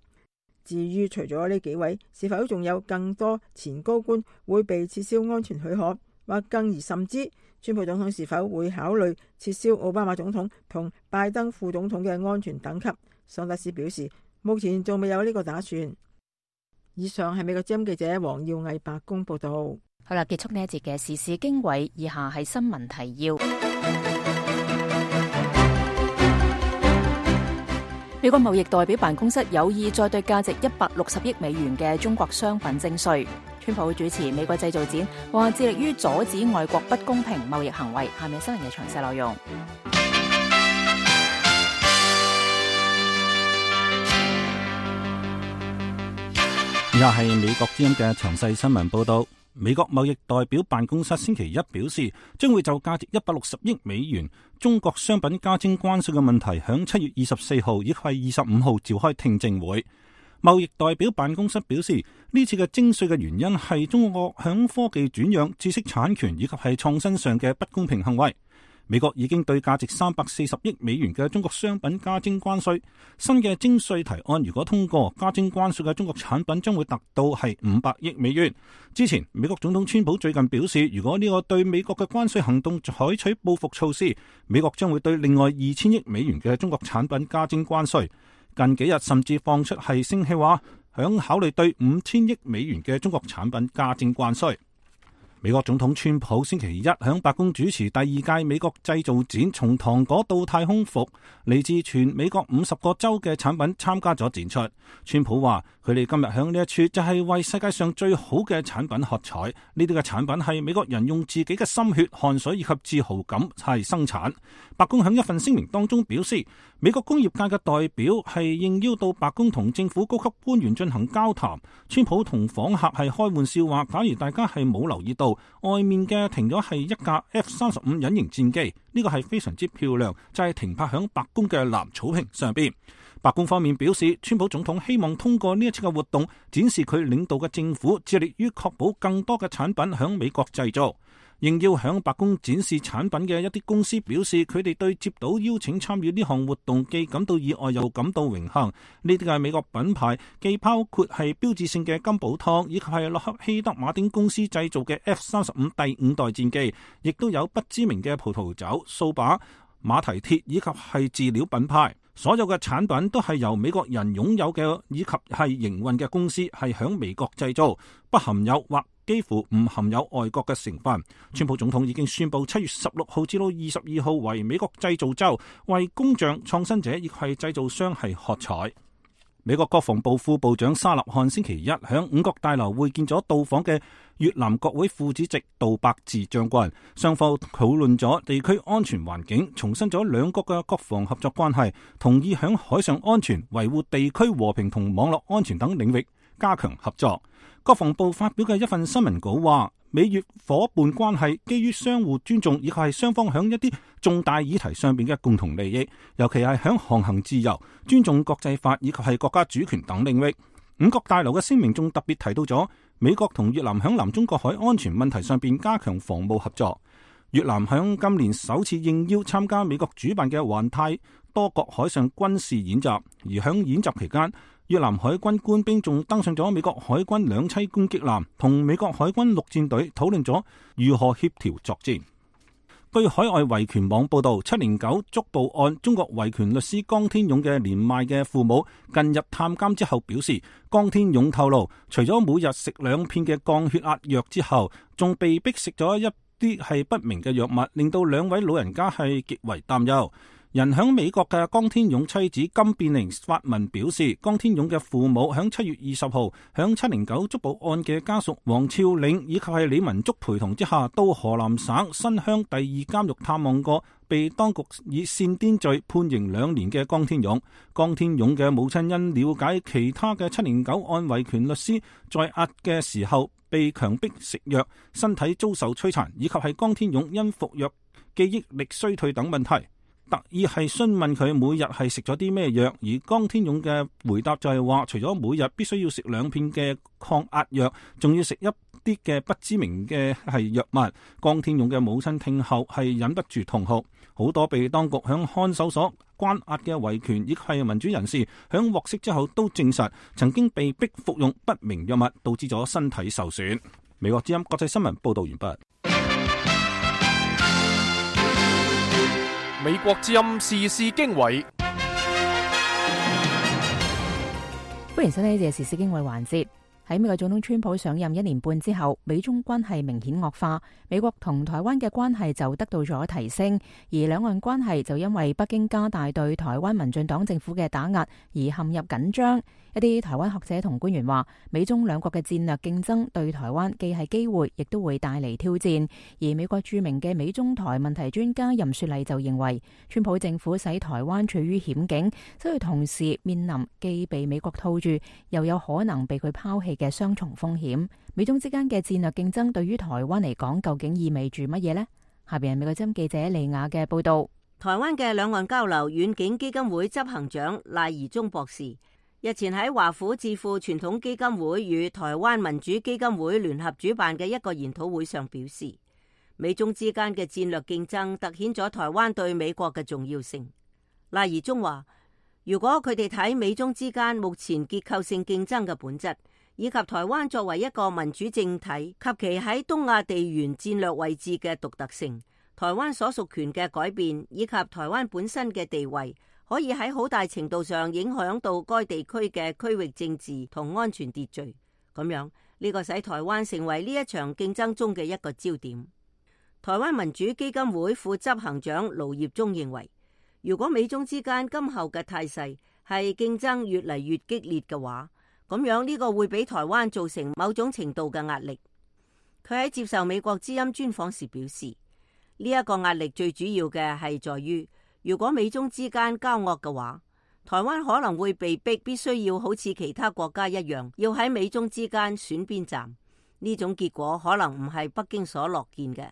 至於除咗呢幾位，是否仲有更多前高官會被撤銷安全許可，或更而甚之，川普總統是否會考慮撤銷奧巴馬總統同拜登副總統嘅安全等級？桑德斯表示，目前仲未有呢個打算。以上係美國之音記者黃耀毅白宮報道。好啦，結束呢一節嘅時事經緯，以下係新聞提要。美國貿易代表辦公室有意再對價值160億美元嘅中國商品徵稅。川普主持美國製造展，話致力於阻止外國不公平貿易行為。下面新聞嘅詳細內容。以下係美國之音嘅詳細新聞報道。美國貿易代表辦公室星期一表示，將會就價值160億美元中國商品加徵關稅嘅問題，響7月24號以及25號召開聽證會。貿易代表辦公室表示，呢次嘅徵稅嘅原因係中國響科技轉讓、知識產權以及係創新上嘅不公平行為。美國已經對價值340億美元嘅中國商品加徵關稅。新嘅徵稅提案如果通過，加徵關稅嘅中國產品將會達到係500億美元。之前美國總統川普最近表示，如果呢個對美國嘅關稅行動採取報復措施，美國將會對另外2000億美元嘅中國產品加徵關稅。近幾日甚至放出係聲氣話，響考慮對5000億美元嘅中國產品加徵關稅。美國總統川普星期一響白宮主持第二屆美國製造展，從糖果到太空服，嚟自全美國50個州嘅產品參加咗展出。川普話，佢哋今日響呢一處就係為世界上最好嘅產品喝彩。呢啲嘅產品係美國人用自己嘅心血、汗水以及自豪感係生產。白宮響一份聲明當中表示，美國工業界嘅代表係應邀到白宮同政府高級官員進行交談。川普同訪客係開玩笑話，假如大家係冇留意到，外面嘅停咗係一架 F-35 隱形戰機，呢個係非常之漂亮，就係停泊響白宮嘅藍草坪上邊。白宮方面表示，川普總統希望通過呢一次嘅活動，展示佢領導嘅政府致力於確保更多嘅產品響美國製造。應邀響白宮展示產品嘅一啲公司表示，佢哋對接到邀請參與呢項活動既感到意外又感到榮幸。呢啲嘅美國品牌既包括係標誌性嘅金寶湯，以及係洛克希德馬丁公司製造嘅 F-35第5代戰機，亦都有不知名嘅葡萄酒、掃把、馬蹄鐵以及係飼料品牌。所有嘅產品都係由美國人擁有嘅，以及係營運嘅公司係響美國製造，不含有或幾乎唔含有外國嘅成分。川普總統已經宣布7月16號至到22號為美國製造周，為工匠、創新者亦係製造商係喝彩。美國國防部副部長沙納漢星期一響五角大樓會見咗到訪嘅越南國會副主席杜伯治將軍，雙方討論咗地區安全環境，重申咗兩國嘅國防合作關係，同意響海上安全、維護地區和平同網絡安全等領域加強合作。國防部發表嘅一份新聞稿話，美越伙伴關係基於相互尊重，以及係雙方響一啲重大議題上邊嘅共同利益，尤其係響航行自由、尊重國際法以及係國家主權等領域。五角大樓嘅聲明仲特別提到咗美國同越南響南中國海安全問題上邊加強防務合作。越南響今年首次應邀參加美國主辦嘅環太多國海上軍事演習，而響演習期間，越南海軍官兵仲登上咗美國海軍兩棲攻擊艦，同美國海軍陸戰隊討論咗如何協調作戰。據海外維權網報道，709捉捕案中國維權律師江天勇嘅年邁嘅父母近日探監之後表示，江天勇透露，除咗每日食2片嘅降血壓藥之後，仲被逼食咗一啲係不明嘅藥物，令到2位老人家係極為擔憂。人響美國嘅江天勇妻子金變玲發文表示，江天勇嘅父母響7月20號響709捉捕案嘅家屬黃超領以及係李文竹陪同之下，到河南省新鄉第2監獄探望過被當局以煽顛罪判刑2年嘅江天勇。江天勇嘅母親因了解其他嘅709案維權律師在押嘅時候被強迫食藥，身體遭受摧殘，以及係江天勇因服藥記憶力衰退等問題。特意係詢問佢每日係食咗啲咩藥，而江天勇嘅回答就係話，除咗每日必須要食2片嘅抗壓藥，仲要食一啲嘅不知名嘅係藥物。江天勇嘅母親聽後係忍不住痛哭。好多被當局響看守所關押嘅維權亦係民主人士，響獲釋之後都證實曾經被逼服用不明藥物，導致咗身體受損。美國之音國際新聞報道完畢。美國之音時事經緯，歡迎收聽呢節時事經緯環節。喺美國總統川普上任1年半之後，美中關係明顯惡化，美國同台灣嘅關係就得到咗提升，而兩岸關係就因為北京加大對台灣民進黨政府嘅打壓而陷入緊張。一啲台灣學者同官員話，美中兩國嘅戰略競爭對台灣既係機會，亦都會帶嚟挑戰。而美國著名嘅美中台問題專家任雪麗就認為，川普政府使台灣處於險境，所以同時面臨既被美國套住，又有可能被佢拋棄嘅雙重風險。美中之間嘅戰略競爭對於台灣嚟講，究竟意味住乜嘢呢？下邊係美國之音記者利亞嘅報道。台灣嘅兩岸交流遠景基金會執行長賴宜中博士日前喺華府智庫傳統基金會與台灣民主基金會聯合主辦嘅一個研討會上表示，美中之間嘅戰略競爭凸顯咗台灣對美國嘅重要性。賴宜中話，如果佢哋睇美中之間目前結構性競爭嘅本質，以及台灣作為一個民主政體及其喺東亞地緣戰略位置嘅獨特性，台灣所屬權嘅改變，以及台灣本身嘅地位，可以喺好大程度上影響到該地區嘅區域政治同安全秩序。咁樣呢個使台灣成為呢一場競爭中嘅一個焦點。台灣民主基金會副執行長盧業忠認為，如果美中之間今後嘅態勢係競爭越嚟越激烈嘅話，咁樣呢個會俾台灣造成某種程度嘅壓力。佢喺接受美國之音專訪時表示，呢一個壓力最主要嘅係在於，如果美中之間交惡嘅話，台灣可能會被逼必須要好似其他國家一樣，要喺美中之間選邊站。呢種結果可能唔係北京所樂見嘅。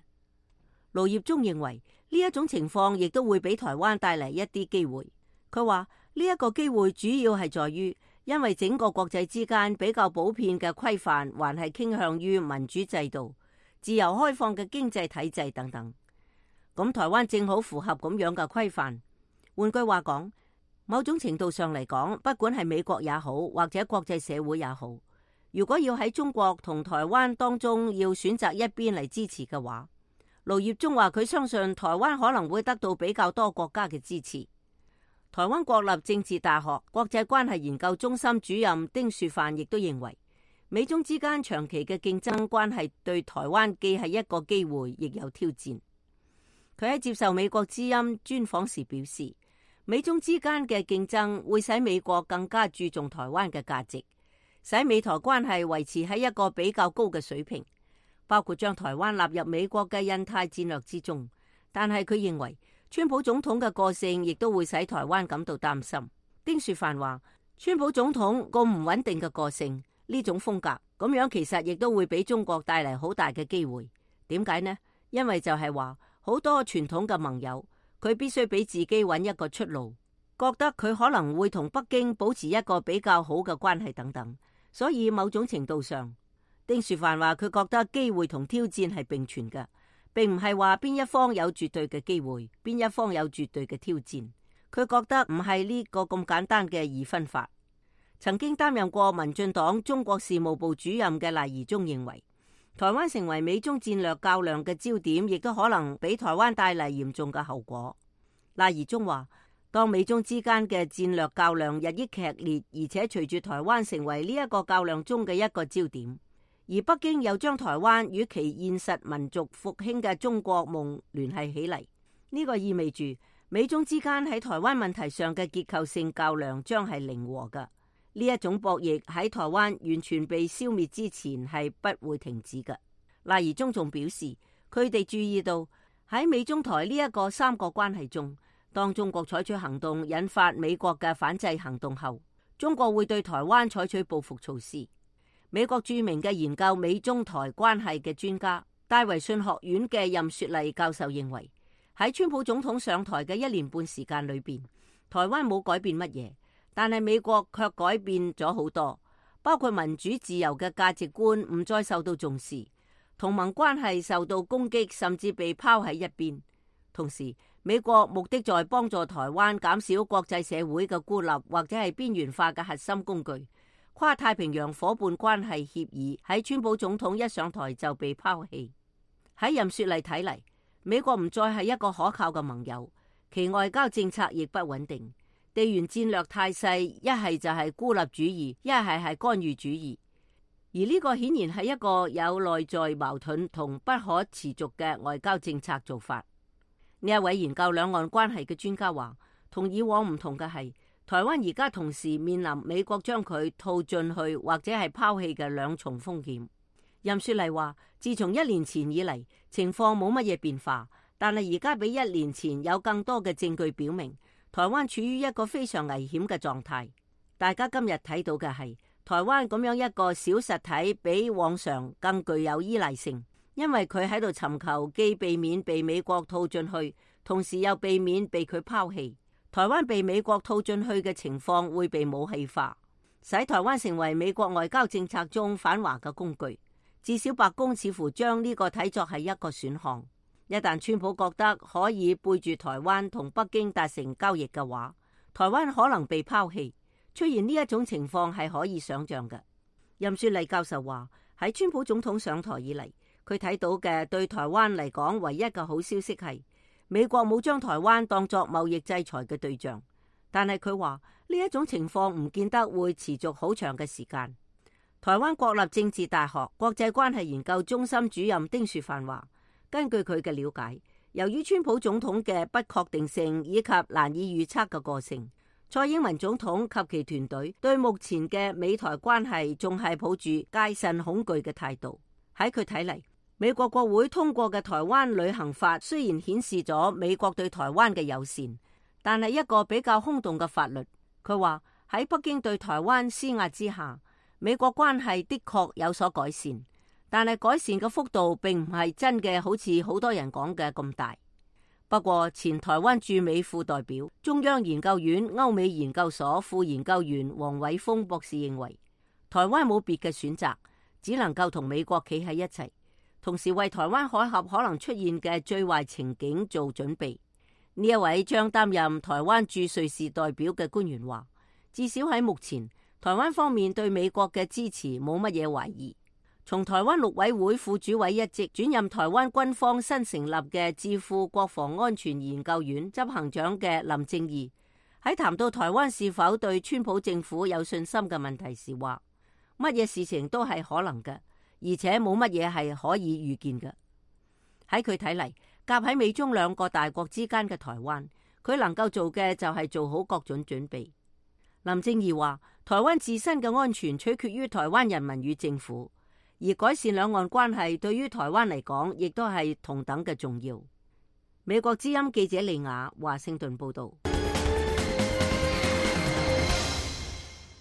盧業忠認為呢一種情況亦都會俾台灣帶嚟一啲機會。佢話呢一個機會主要係在於，因為整個國際之間比較普遍嘅規範還係傾向於民主制度、自由開放嘅經濟體制等等。咁台灣正好符合咁樣嘅規範。換句話講，某種程度上嚟講，不管係美國也好，或者國際社會也好，如果要喺中國同台灣當中要選擇一邊嚟支持嘅話，盧業忠話佢相信台灣可能會得到比較多國家嘅支持。台灣國立政治大學國際關係研究中心主任丁樹範亦都認為，美中之間長期嘅競爭關係對台灣既係一個機會，亦有挑戰。佢喺接受美國之音專訪時表示，美中之間嘅競爭會使美國更加注重台灣嘅價值，使美台關係維持喺一個比較高嘅水平，包括將台灣納入美國嘅印太戰略之中。但係佢認為，川普總統嘅個性亦都會使台灣感到擔心。丁樹範話，川普總統個唔穩定嘅個性，呢種風格咁樣其實亦都會俾中國帶嚟好大嘅機會。點解呢？因為就係話，好多傳統嘅盟友，佢必須俾自己揾一個出路，覺得佢可能會同北京保持一個比較好嘅關係等等。所以某種程度上，丁樹範話佢覺得機會同挑戰係並存嘅，並唔係話邊一方有絕對嘅機會，邊一方有絕對嘅挑戰。佢覺得唔係呢個咁簡單嘅二分法。曾經擔任過民進黨中國事務部主任嘅賴宜中認為，台灣成為美中戰略較量嘅焦點，亦都可能俾台灣帶嚟嚴重嘅後果。賴宜中話，當美中之間嘅戰略較量日益劇烈，而且隨住台灣成為呢一個較量中嘅一個焦點，而北京又將台灣與其現實民族復興嘅中國夢聯繫起嚟，呢個意味住美中之間喺台灣問題上嘅結構性較量將係零和嘅。呢一種博弈喺台灣完全被消滅之前係不會停止嘅。賴宜中仲表示，佢哋注意到喺美中台呢一個三角關係中，當中國採取行動引發美國嘅反制行動後，中國會對台灣採取報復措施。美國著名嘅研究美中台關係嘅專家戴維遜學院嘅任雪麗教授認為，喺川普總統上台嘅1年半時間裏邊，台灣冇改變乜嘢，但係美國卻改變咗好多，包括民主自由嘅價值觀唔再受到重視，同盟關係受到攻擊，甚至被拋喺一邊。同時，美國目的在幫助台灣減少國際社會嘅孤立或者係邊緣化嘅核心工具。跨太平洋夥伴關係協議喺川普總統一上台就被拋棄。喺任雪麗睇嚟，美國唔再係一個可靠嘅盟友，其外交政策亦不穩定，地緣戰略態勢一係就係孤立主義，一係干預主義。而呢個顯然係一個有內在矛盾同不可持續嘅外交政策做法。呢一位研究兩岸關係嘅專家話，同以往唔同嘅係，台灣而家同時面臨美國將佢套進去或者係拋棄嘅兩重風險。任雪麗話，自從1年前以嚟，情況冇乜嘢變化，但係而家比1年前有更多嘅證據表明，台灣處於一個非常危險嘅狀態。大家今日睇到嘅係台灣咁樣一個小實體，比往常更具有依賴性，因為佢喺度尋求既避免被美國套進去，同時又避免被佢拋棄。台灣被美國套進去嘅情況會被武器化，使台灣成為美國外交政策中反華嘅工具。至少白宮似乎將呢個睇作係一個選項。一旦川普覺得可以背住台灣同北京達成交易嘅話，台灣可能被拋棄。出現呢一種情況係可以想象嘅。任雪麗教授話，喺川普總統上台以嚟，佢睇到嘅對台灣嚟講唯一嘅好消息係美國冇將台灣當作貿易制裁嘅對象。但係佢話呢一種情況唔見得會持續好長嘅時間。台灣國立政治大學國際關係研究中心主任丁樹範話，根據佢嘅了解，由於川普總統嘅不確定性以及難以預測嘅個性，蔡英文總統及其團隊對目前嘅美台關係仲係抱住戒慎恐懼嘅態度。喺佢睇嚟，美國國會通過嘅台灣旅行法雖然顯示咗美國對台灣嘅友善，但係一個比較空洞嘅法律。佢話喺北京對台灣施壓之下，美國關係的確有所改善，但係改善嘅幅度並唔係真嘅，好似好多人講嘅咁大。不過，前台灣駐美副代表、中央研究院歐美研究所副研究員黃偉峰博士認為，台灣冇別嘅選擇，只能夠同美國企喺一齊，同時為台灣海峽可能出現嘅最壞情景做準備。呢一位將擔任台灣駐瑞士代表嘅官員話，至少喺目前，台灣方面對美國嘅支持冇乜嘢懷疑。從台灣陸委會副主委一職轉任台灣軍方新成立嘅智庫國防安全研究院執行長嘅林正義喺談到台灣是否對川普政府有信心嘅問題時話，乜嘢事情都係可能嘅，而且冇乜嘢係可以預見嘅。喺佢睇嚟，夾喺美中兩個大國之間嘅台灣，佢能夠做嘅就係做好各種準備。林正義話，台灣自身嘅安全取決於台灣人民與政府，而改善兩岸關係對於台灣嚟講，亦都係同等嘅重要。美國之音記者利亞華盛頓報道。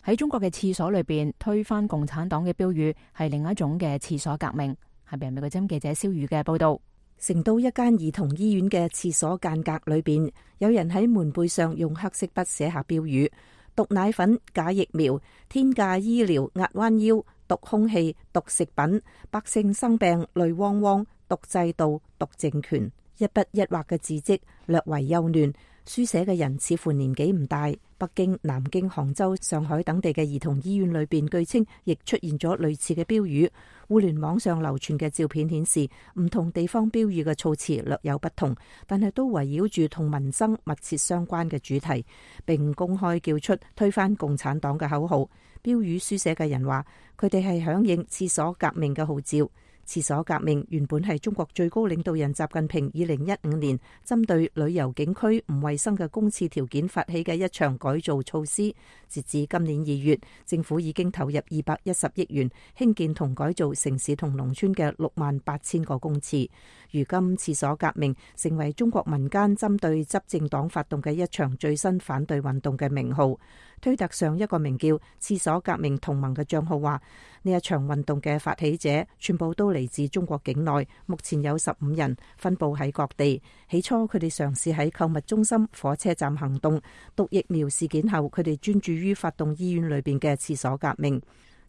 喺中國嘅廁所裏邊推翻共產黨嘅標語係另一種嘅廁所革命。下邊美國之音記者蕭宇嘅報道。成都一間兒童醫院嘅廁所間隔裏邊，有人喺門背上用黑色筆寫下標語：毒奶粉、假疫苗、天價醫療壓彎腰、毒空氣、毒食品、百姓生病淚汪汪、毒制度、毒政權。一筆一畫嘅字跡略為幼嫩，書寫嘅人似乎年紀唔大。北京、南京、杭州、上海等地嘅兒童醫院裏邊，據稱亦出現咗類似嘅標語。互聯網上流傳嘅照片顯示，唔同地方標語嘅措辭略有不同，但係都圍繞住同民生密切相關嘅主題，並公開叫出推翻共產黨嘅口號。標語書寫嘅人話，佢哋係響應廁所革命嘅號召。廁所革命原本係中國最高領導人習近平2015年針對旅遊景區唔衛生嘅公廁條件發起嘅一場改造措施。截至今年2月，政府已經投入210億元興建同改造城市同農村嘅68000個公廁。如今廁所革命成為中國民間針對執政黨發動嘅一場最新反對運動嘅名號。推特上一個名叫廁所革命同盟嘅賬號話，呢一場運動嘅發起者全部都嚟自中國境內，目前有15人，分佈喺各地。起初佢哋嘗試喺購物中心、火車站行動，毒疫苗事件後，佢哋專注於發動醫院裏邊嘅廁所革命。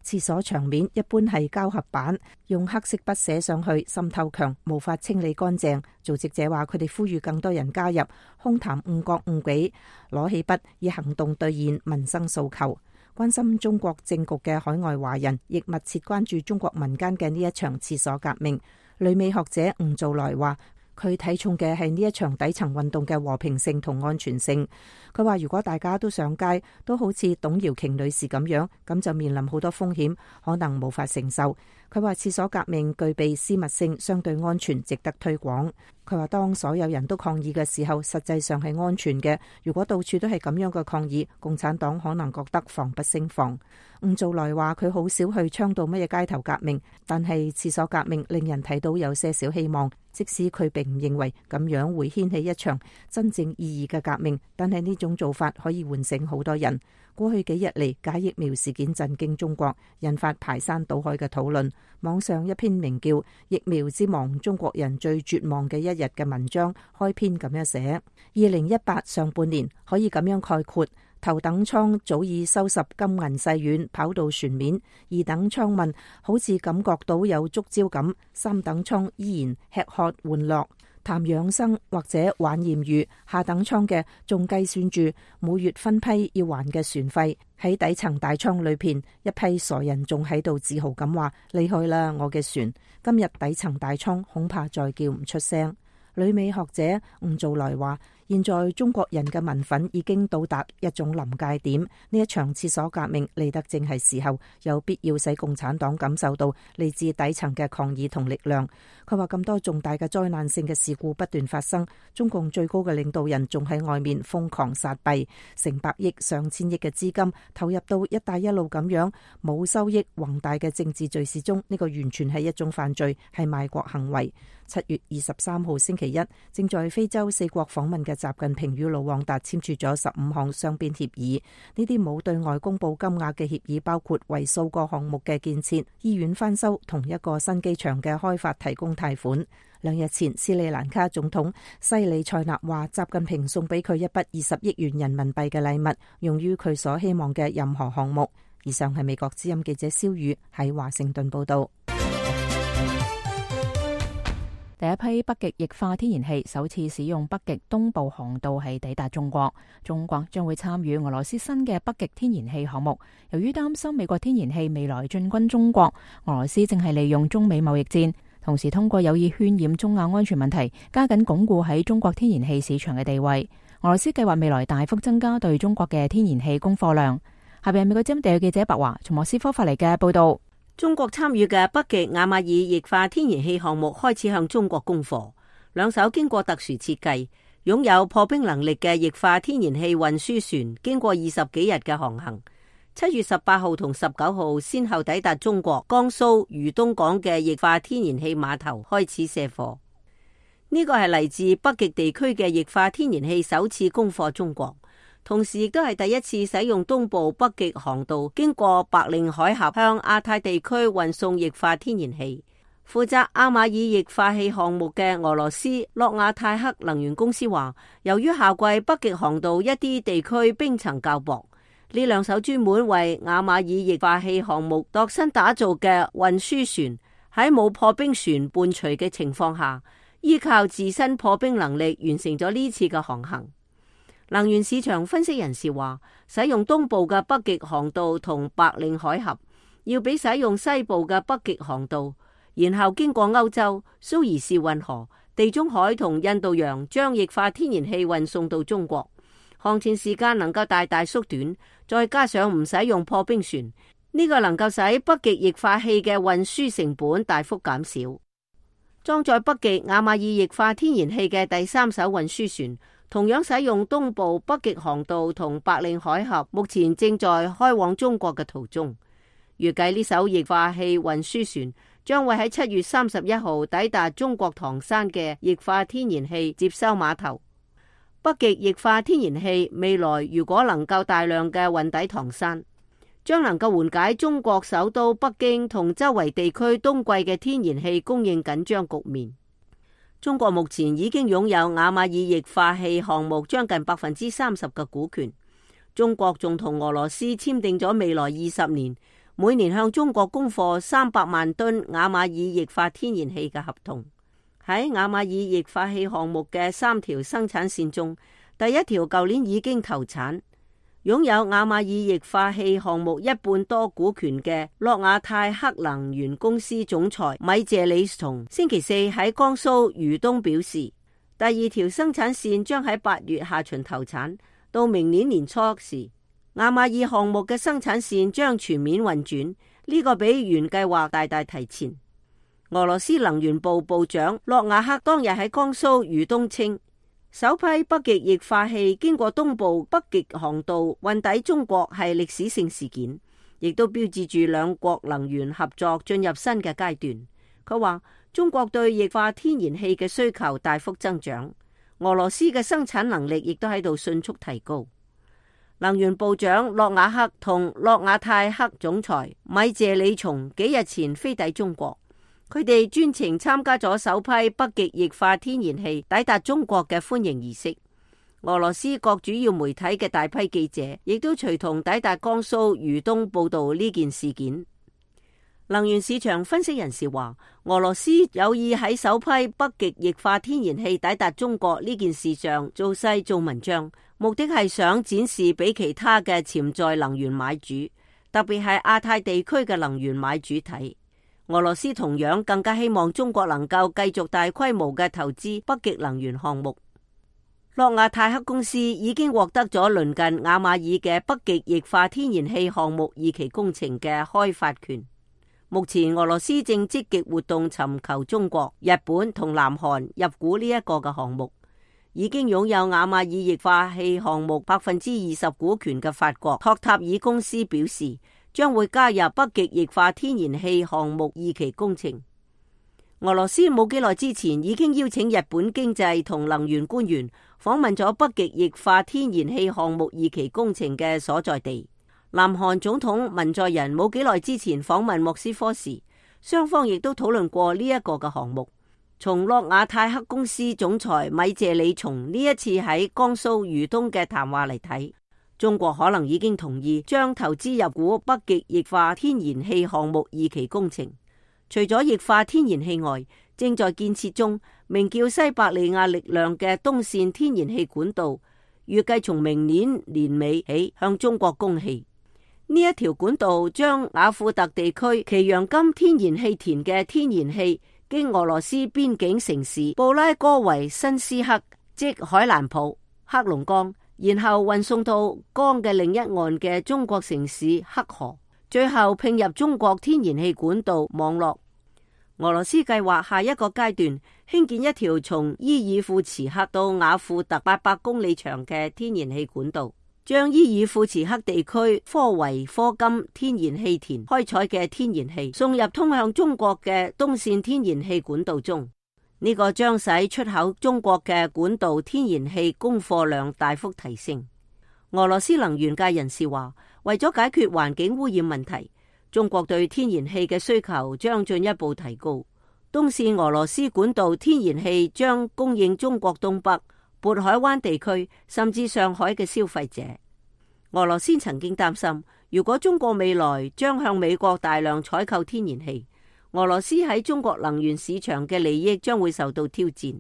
廁所牆面一般係膠合板，用黑色筆寫上去，滲透強，無法清理乾淨。組織者話佢哋呼籲更多人加入，空談誤國誤己，攞起筆以行動兌現民生訴求。關心中國政局嘅海外華人亦密切關注中國民間嘅呢一場廁所革命。旅美學者吳造來話，佢睇重嘅係呢一場底層運動嘅和平性同安全性。佢話如果大家都上街，都好似董瑤瓊女士咁樣，咁就面臨好多風險，可能無法承受。佢話廁所革命具備私密性，相對安全，值得推廣。佢話當所有人都抗議嘅時候，實際上係安全嘅。如果到處都係咁樣嘅抗議，共產黨可能覺得防不勝防。吳造來話佢好少去倡導乜嘢街頭革命，但係廁所革命令人睇到有些少希望。即使佢並唔認為咁樣會掀起一場真正意義嘅革命，但係呢種做法可以喚醒好多人。過去幾日嚟，假疫苗事件震驚中國，引發排山倒海嘅討論。網上一篇名叫《疫苗之亡：中國人最絕望嘅一日》嘅文章開篇咁樣寫：2018上半年可以咁樣概括。頭等艙早已收拾金銀細軟，跑到船面；二等艙問好似感覺到有觸礁咁；三等艙依然吃喝玩樂、談養生或者玩艷遇；下等艙嘅仲計算住每月分批要還嘅船費。喺底層大艙裏邊，一批傻人仲喺度自豪咁話：厲害啦，我嘅船！今日底層大艙恐怕再叫唔出聲。旅美學者吳造來話：現在中國人嘅民憤已經到達一種臨界點，呢一場廁所革命嚟得正係時候，有必要使共產黨感受到嚟自底層嘅抗議同力量。佢話咁多重大嘅災難性嘅事故不斷發生，中共最高嘅領導人仲喺外面瘋狂撒幣，成百億上千億嘅資金投入到一帶一路咁樣冇收益宏大嘅政治敘事中，呢個完全係一種犯罪，係賣國行為。7月23號星期一，正在非洲4國訪問嘅習近平與盧旺達簽署咗15項雙邊協議。呢啲冇對外公布金額嘅協議，包括為數個項目嘅建設、醫院翻修同一個新機場嘅開發提供貸款。2日前，斯里蘭卡總統西里塞納話，習近平送俾佢一筆20億元人民幣嘅禮物，用於佢所希望嘅任何項目。以上係美國之音記者蕭宇喺華盛頓報道。第一批北極液化天然氣首次使用北極東部航道係抵達中國，中國將會參與俄羅斯新嘅北極天然氣項目。由於擔心美國天然氣未來進軍中國，俄羅斯正係利用中美貿易戰，同時通過有意渲染中亞安全問題，加緊鞏固喺中國天然氣市場嘅地位。俄羅斯計劃未來大幅增加對中國嘅天然氣供貨量。下邊係美國之音地記者白華從莫斯科發嚟嘅報道。中國參與嘅北極亞馬爾液化天然氣項目開始向中國供貨。兩艘經過特殊設計、擁有破冰能力嘅液化天然氣運輸船，經過20幾日嘅航行，7月18號同19號先後抵達中國江蘇豫東港嘅液化天然氣碼頭，開始卸貨。呢個係嚟自北極地區嘅液化天然氣首次供貨中國。同時亦都係第一次使用東部北極航道經過白令海峽向亞太地區運送液化天然氣。負責亞馬爾液化氣項目嘅俄羅斯諾亞泰克能源公司話，由於夏季北極航道一啲地區冰層較薄，呢兩艘專門為亞馬爾液化氣項目度身打造嘅運輸船喺冇破冰船伴隨嘅情況下，依靠自身破冰能力完成咗呢次嘅航行。能源市場分析人士話，使用東部嘅北極航道同白令海峽，要比使用西部嘅北極航道，然後經過歐洲、蘇伊士運河、地中海同印度洋，將液化天然氣運送到中國，航程時間能夠大大縮短，再加上唔使用破冰船，呢個能夠使北極液化氣嘅運輸成本大幅減少。裝載北極亞馬爾液化天然氣嘅第三艘運輸船，同樣使用東部北極航道同白令海峽，目前正在開往中國嘅途中。預計呢艘液化氣運輸船將會喺7月31號抵達中國唐山嘅液化天然氣接收碼頭。北極液化天然氣未來如果能夠大量嘅運抵唐山，將能夠緩解中國首都北京同周圍地區冬季嘅天然氣供應緊張局面。中國目前已經擁有雅馬爾液化氣項目將近30%嘅股權。中國仲同俄羅斯簽訂咗未來20年，每年向中國供貨300萬噸雅馬爾液化天然氣嘅合同。喺雅馬爾液化氣項目嘅3條生產線中，第一條舊年已經投產。擁有雅馬爾液化氣項目1半多股權嘅諾亞泰克能源公司總裁米謝里松星期四喺江蘇豫東表示，第2條生產線將喺8月下旬投產，到明年年初時，雅馬爾項目嘅生產線將全面運轉，呢個比原計劃大大提前。俄羅斯能源部部長諾瓦克當日喺江蘇豫東稱，首批北極液化氣經過東部北極航道運抵中國係歷史性事件，亦都標誌住兩國能源合作進入新嘅階段。佢話中國對液化天然氣嘅需求大幅增長，俄羅斯嘅生產能力亦都喺度迅速提高。能源部長諾瓦克同諾亞泰克總裁米謝里松幾日前飛抵中國，佢哋專程參加咗首批北極液化天然氣抵達中國嘅歡迎儀式。俄羅斯各主要媒體嘅大批記者亦都隨同抵達江蘇豫東報道呢件事件。能源市場分析人士話，俄羅斯有意喺首批北極液化天然氣抵達中國呢件事上做勢做文章，目的係想展示俾其他嘅潛在能源買主，特別係亞太地區嘅能源買主睇。俄羅斯同樣更加希望中國能夠繼續大規模嘅投資北極能源項目。諾亞泰克公司已經獲得咗鄰近雅馬爾嘅北極液化天然氣項目2期工程嘅開發權。目前俄羅斯正積極活動尋求中國、日本同南韓入股呢一個嘅項目。已經擁有雅馬爾液化氣項目20%股權嘅法國托塔爾公司表示，將會加入北極液化天然氣項目2期工程。俄羅斯冇幾耐之前已經邀請日本經濟同能源官員訪問咗北極液化天然氣項目2期工程嘅所在地。南韓總統文在寅冇幾耐之前訪問莫斯科時，雙方亦都討論過呢一個嘅項目。從諾亞泰克公司總裁米謝里松呢一次喺江蘇豫東嘅談話嚟睇，中國可能已經同意將投資入股北極液化天然氣項目2期工程。除咗液化天然氣外，正在建設中名叫西伯利亞力量嘅東線天然氣管道，預計從明年年尾起向中國供氣。呢一條管道將雅庫特地區奇揚金天然氣田嘅天然氣經俄羅斯邊境城市布拉戈維申斯克，即海蘭普、黑龍江，然後運送到江嘅另一岸嘅中國城市黑河，最後併入中國天然氣管道網絡。俄羅斯計劃下一個階段興建一條從伊爾庫茨克到雅庫特800公里長嘅天然氣管道，將伊爾庫茨克地區科維科金天然氣田開採嘅天然氣送入通向中國嘅東線天然氣管道中。呢個將使出口中國嘅管道天然氣供貨量大幅提升。俄羅斯能源界人士話，為咗解決環境污染問題，中國對天然氣嘅需求將進一步提高。東線俄羅斯管道天然氣將供應中國東北、渤海灣地區甚至上海嘅消費者。俄羅斯曾經擔心，如果中國未來將向美國大量採購天然氣，俄羅斯喺中國能源市場嘅利益將會受到挑戰。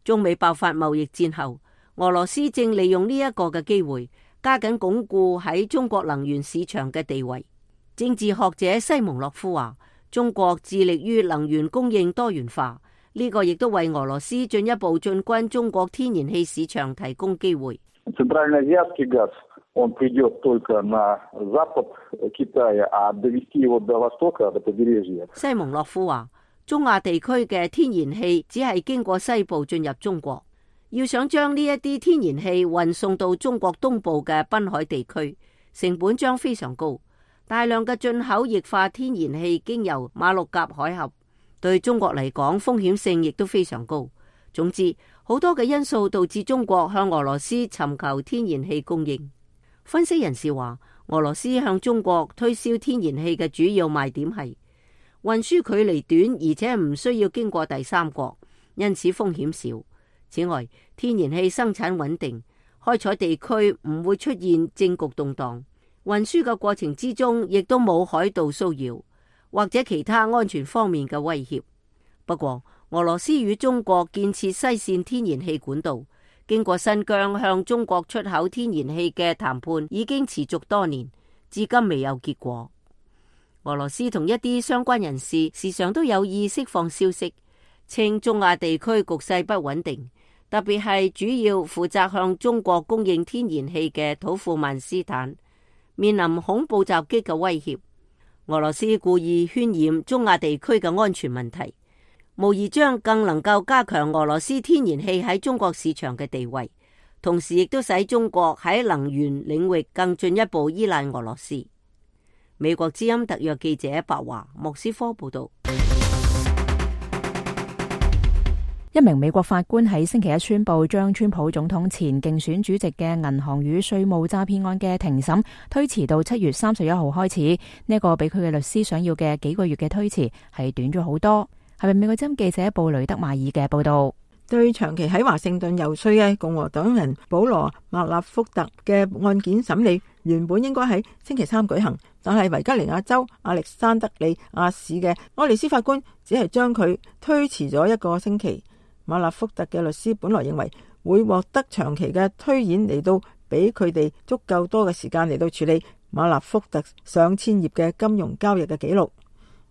中美爆發貿易戰後，俄羅斯正利用呢一個嘅機會，加緊鞏固喺中國能源市場嘅地位。政治學者西蒙諾夫話，中國致力於能源供應多元化，呢個亦都為俄羅斯進一步進軍中國天然氣市場提供機會。西蒙諾夫話，中亞地區嘅天然氣只係經過西部進入中國，要想將呢一啲天然氣運送到中國東部嘅濱海地區，成本將非常高。大量嘅進口液化天然氣經由馬六甲海峽，對中國嚟講風險性亦都非常高。總之，好多嘅因素導致中國向俄羅斯尋求天然氣供應。分析人士話，俄羅斯向中國推銷天然氣嘅主要賣點係運輸距離短，而且唔需要經過第三國，因此風險少。此外，天然氣生產穩定，開採地區唔會出現政局動盪，運輸嘅過程之中亦都冇海盜騷擾或者其他安全方面嘅威脅。不過，俄羅斯與中國建設西線天然氣管道，經過新疆向中國出口天然氣嘅談判已經持續多年，至今未有結果。俄羅斯同一啲相關人士時常都有意釋放消息，稱中亞地區局勢不穩定，特別係主要負責向中國供應天然氣嘅土庫曼斯坦面臨恐怖襲擊嘅威脅。俄羅斯故意渲染中亞地區嘅安全問題，無疑將更能夠加強俄羅斯天然氣喺中國市場嘅地位，同時亦都使中國喺能源領域更進一步依賴俄羅斯。美國之音特約記者白華莫斯科報道。一名美國法官喺星期一宣布，將川普總統前競選主席嘅銀行與稅務詐騙案嘅庭審推遲到7月31號開始。呢個比佢嘅律師想要嘅幾個月嘅推遲係短咗好多。係咪美國之音記者布雷德馬爾嘅報道？對長期喺華盛頓遊說嘅共和黨人保羅麥納福特嘅案件審理原本應該喺星期三舉行，但係維吉尼亞州亞歷山德里亞市嘅愛麗絲法官只係將佢推遲咗1個星期。馬納福特嘅律師本來認為會獲得長期嘅推演嚟到俾佢哋足夠多嘅時間嚟到處理馬納福特上千頁嘅金融交易嘅記錄。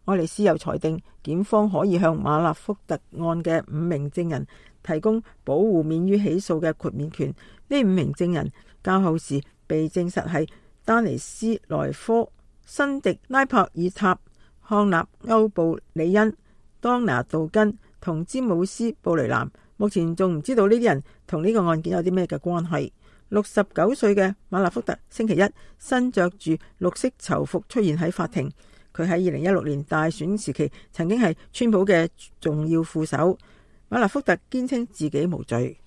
愛麗絲又裁定檢方可以向馬納福特案嘅5名證人提供保護免於起訴嘅豁免權。呢5名證人較後時被證實係丹尼斯萊科、辛迪拉柏爾塔、康納歐布里恩、當拿杜根同詹姆斯布雷南。目前仲唔知道呢啲人同呢個案件有啲咩嘅關係。69歲嘅馬納福特星期一身着住綠色囚服出現喺法庭。佢喺2016年大選時期曾經係川普嘅重要副手。馬納福特堅稱自己無罪。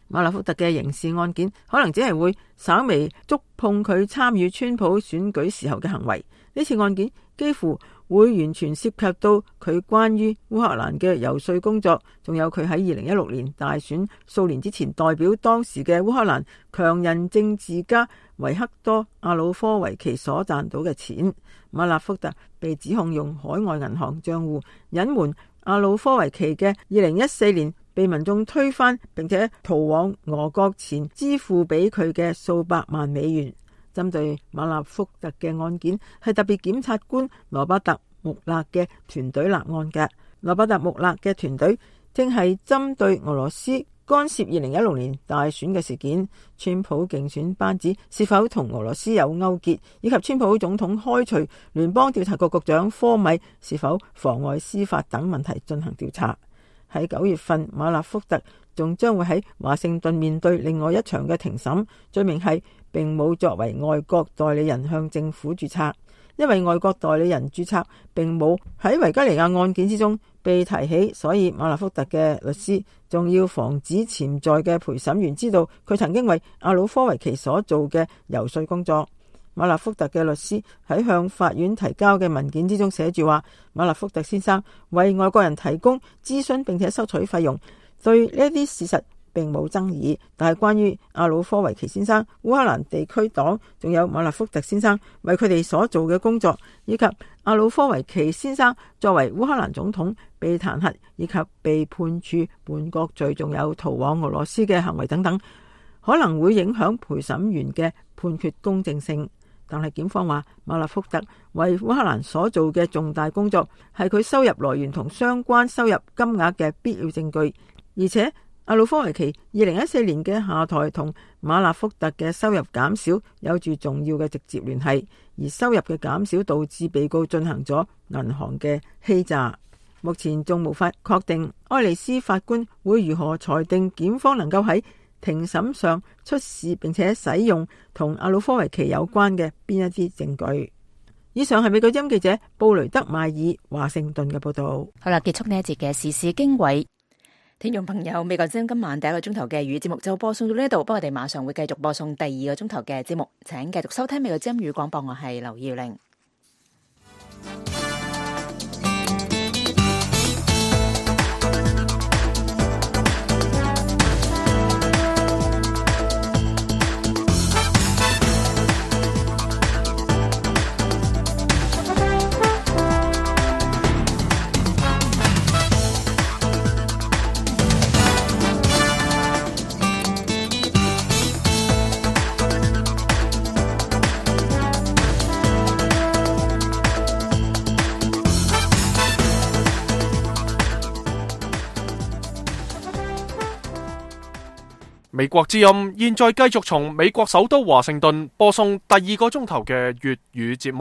馬納福特嘅刑事案件可能只係會稍微觸碰佢參與川普選舉時候嘅行為。呢次案件幾乎會完全涉及到佢關於烏克蘭嘅遊說工作，仲有佢喺2016年大選數年之前代表當時嘅烏克蘭強人政治家維克多·阿魯科維奇所賺到嘅錢。馬納福特被指控用海外銀行賬戶隱瞞阿魯科維奇嘅2014年被民眾推翻並且逃往俄國前支付俾佢嘅數百萬美元。針對馬納福特嘅案件係特別檢察官羅伯特穆勒嘅團隊立案嘅。羅伯特穆勒嘅團隊正係針對俄羅斯干涉2016年大選嘅事件，川普競選班子是否同俄羅斯有勾結，以及川普總統開除聯邦調查局局長科米是否妨礙司法等問題進行調查。喺9月份，馬納福特仲將會喺華盛頓面對另外一場嘅庭審，罪名係並冇作為外國代理人向政府註冊。因為外國代理人註冊並冇喺維吉尼亞案件之中被提起，所以馬納福特嘅律師仲要防止潛在嘅陪審員知道佢曾經為阿魯科維奇所做嘅遊說工作。馬納福特嘅律師喺向法院提交嘅文件之中寫住話，馬納福特先生為外國人提供諮詢並且收取費用，對呢啲事實並冇爭議。但係關於阿魯科維奇先生、烏克蘭地區黨仲有馬納福特先生為佢哋所做嘅工作，以及阿魯科維奇先生作為烏克蘭總統被彈劾以及被判處叛國罪，仲有逃往俄羅斯嘅行為等等，可能會影響陪審員嘅判決公正性。但係檢方話，馬納福特為烏克蘭所做嘅重大工作係佢收入來源同相關收入金額嘅必要證據，而且阿魯科維奇2014年嘅下台同馬納福特嘅收入減少有住重要嘅直接聯繫，而收入嘅減少導致被告進行咗銀行嘅欺詐。目前仲無法確定愛麗絲法官會如何裁定檢方能夠喺庭審上出示並且使用同阿魯科維奇有關嘅邊一啲證據。以上係美國之音記者布雷德邁爾華盛頓嘅報道。好啦，結束呢一節嘅時事經緯。聽眾朋友，美國之音今晚第一個鐘頭嘅粵語節目就播送到呢度，不過我哋馬上會繼續播送第二個鐘頭嘅節目，請繼續收聽美國之音語廣播，我係劉耀玲。美國之音現在繼續從美國首都華盛頓播送第二個鐘頭嘅粵語節目。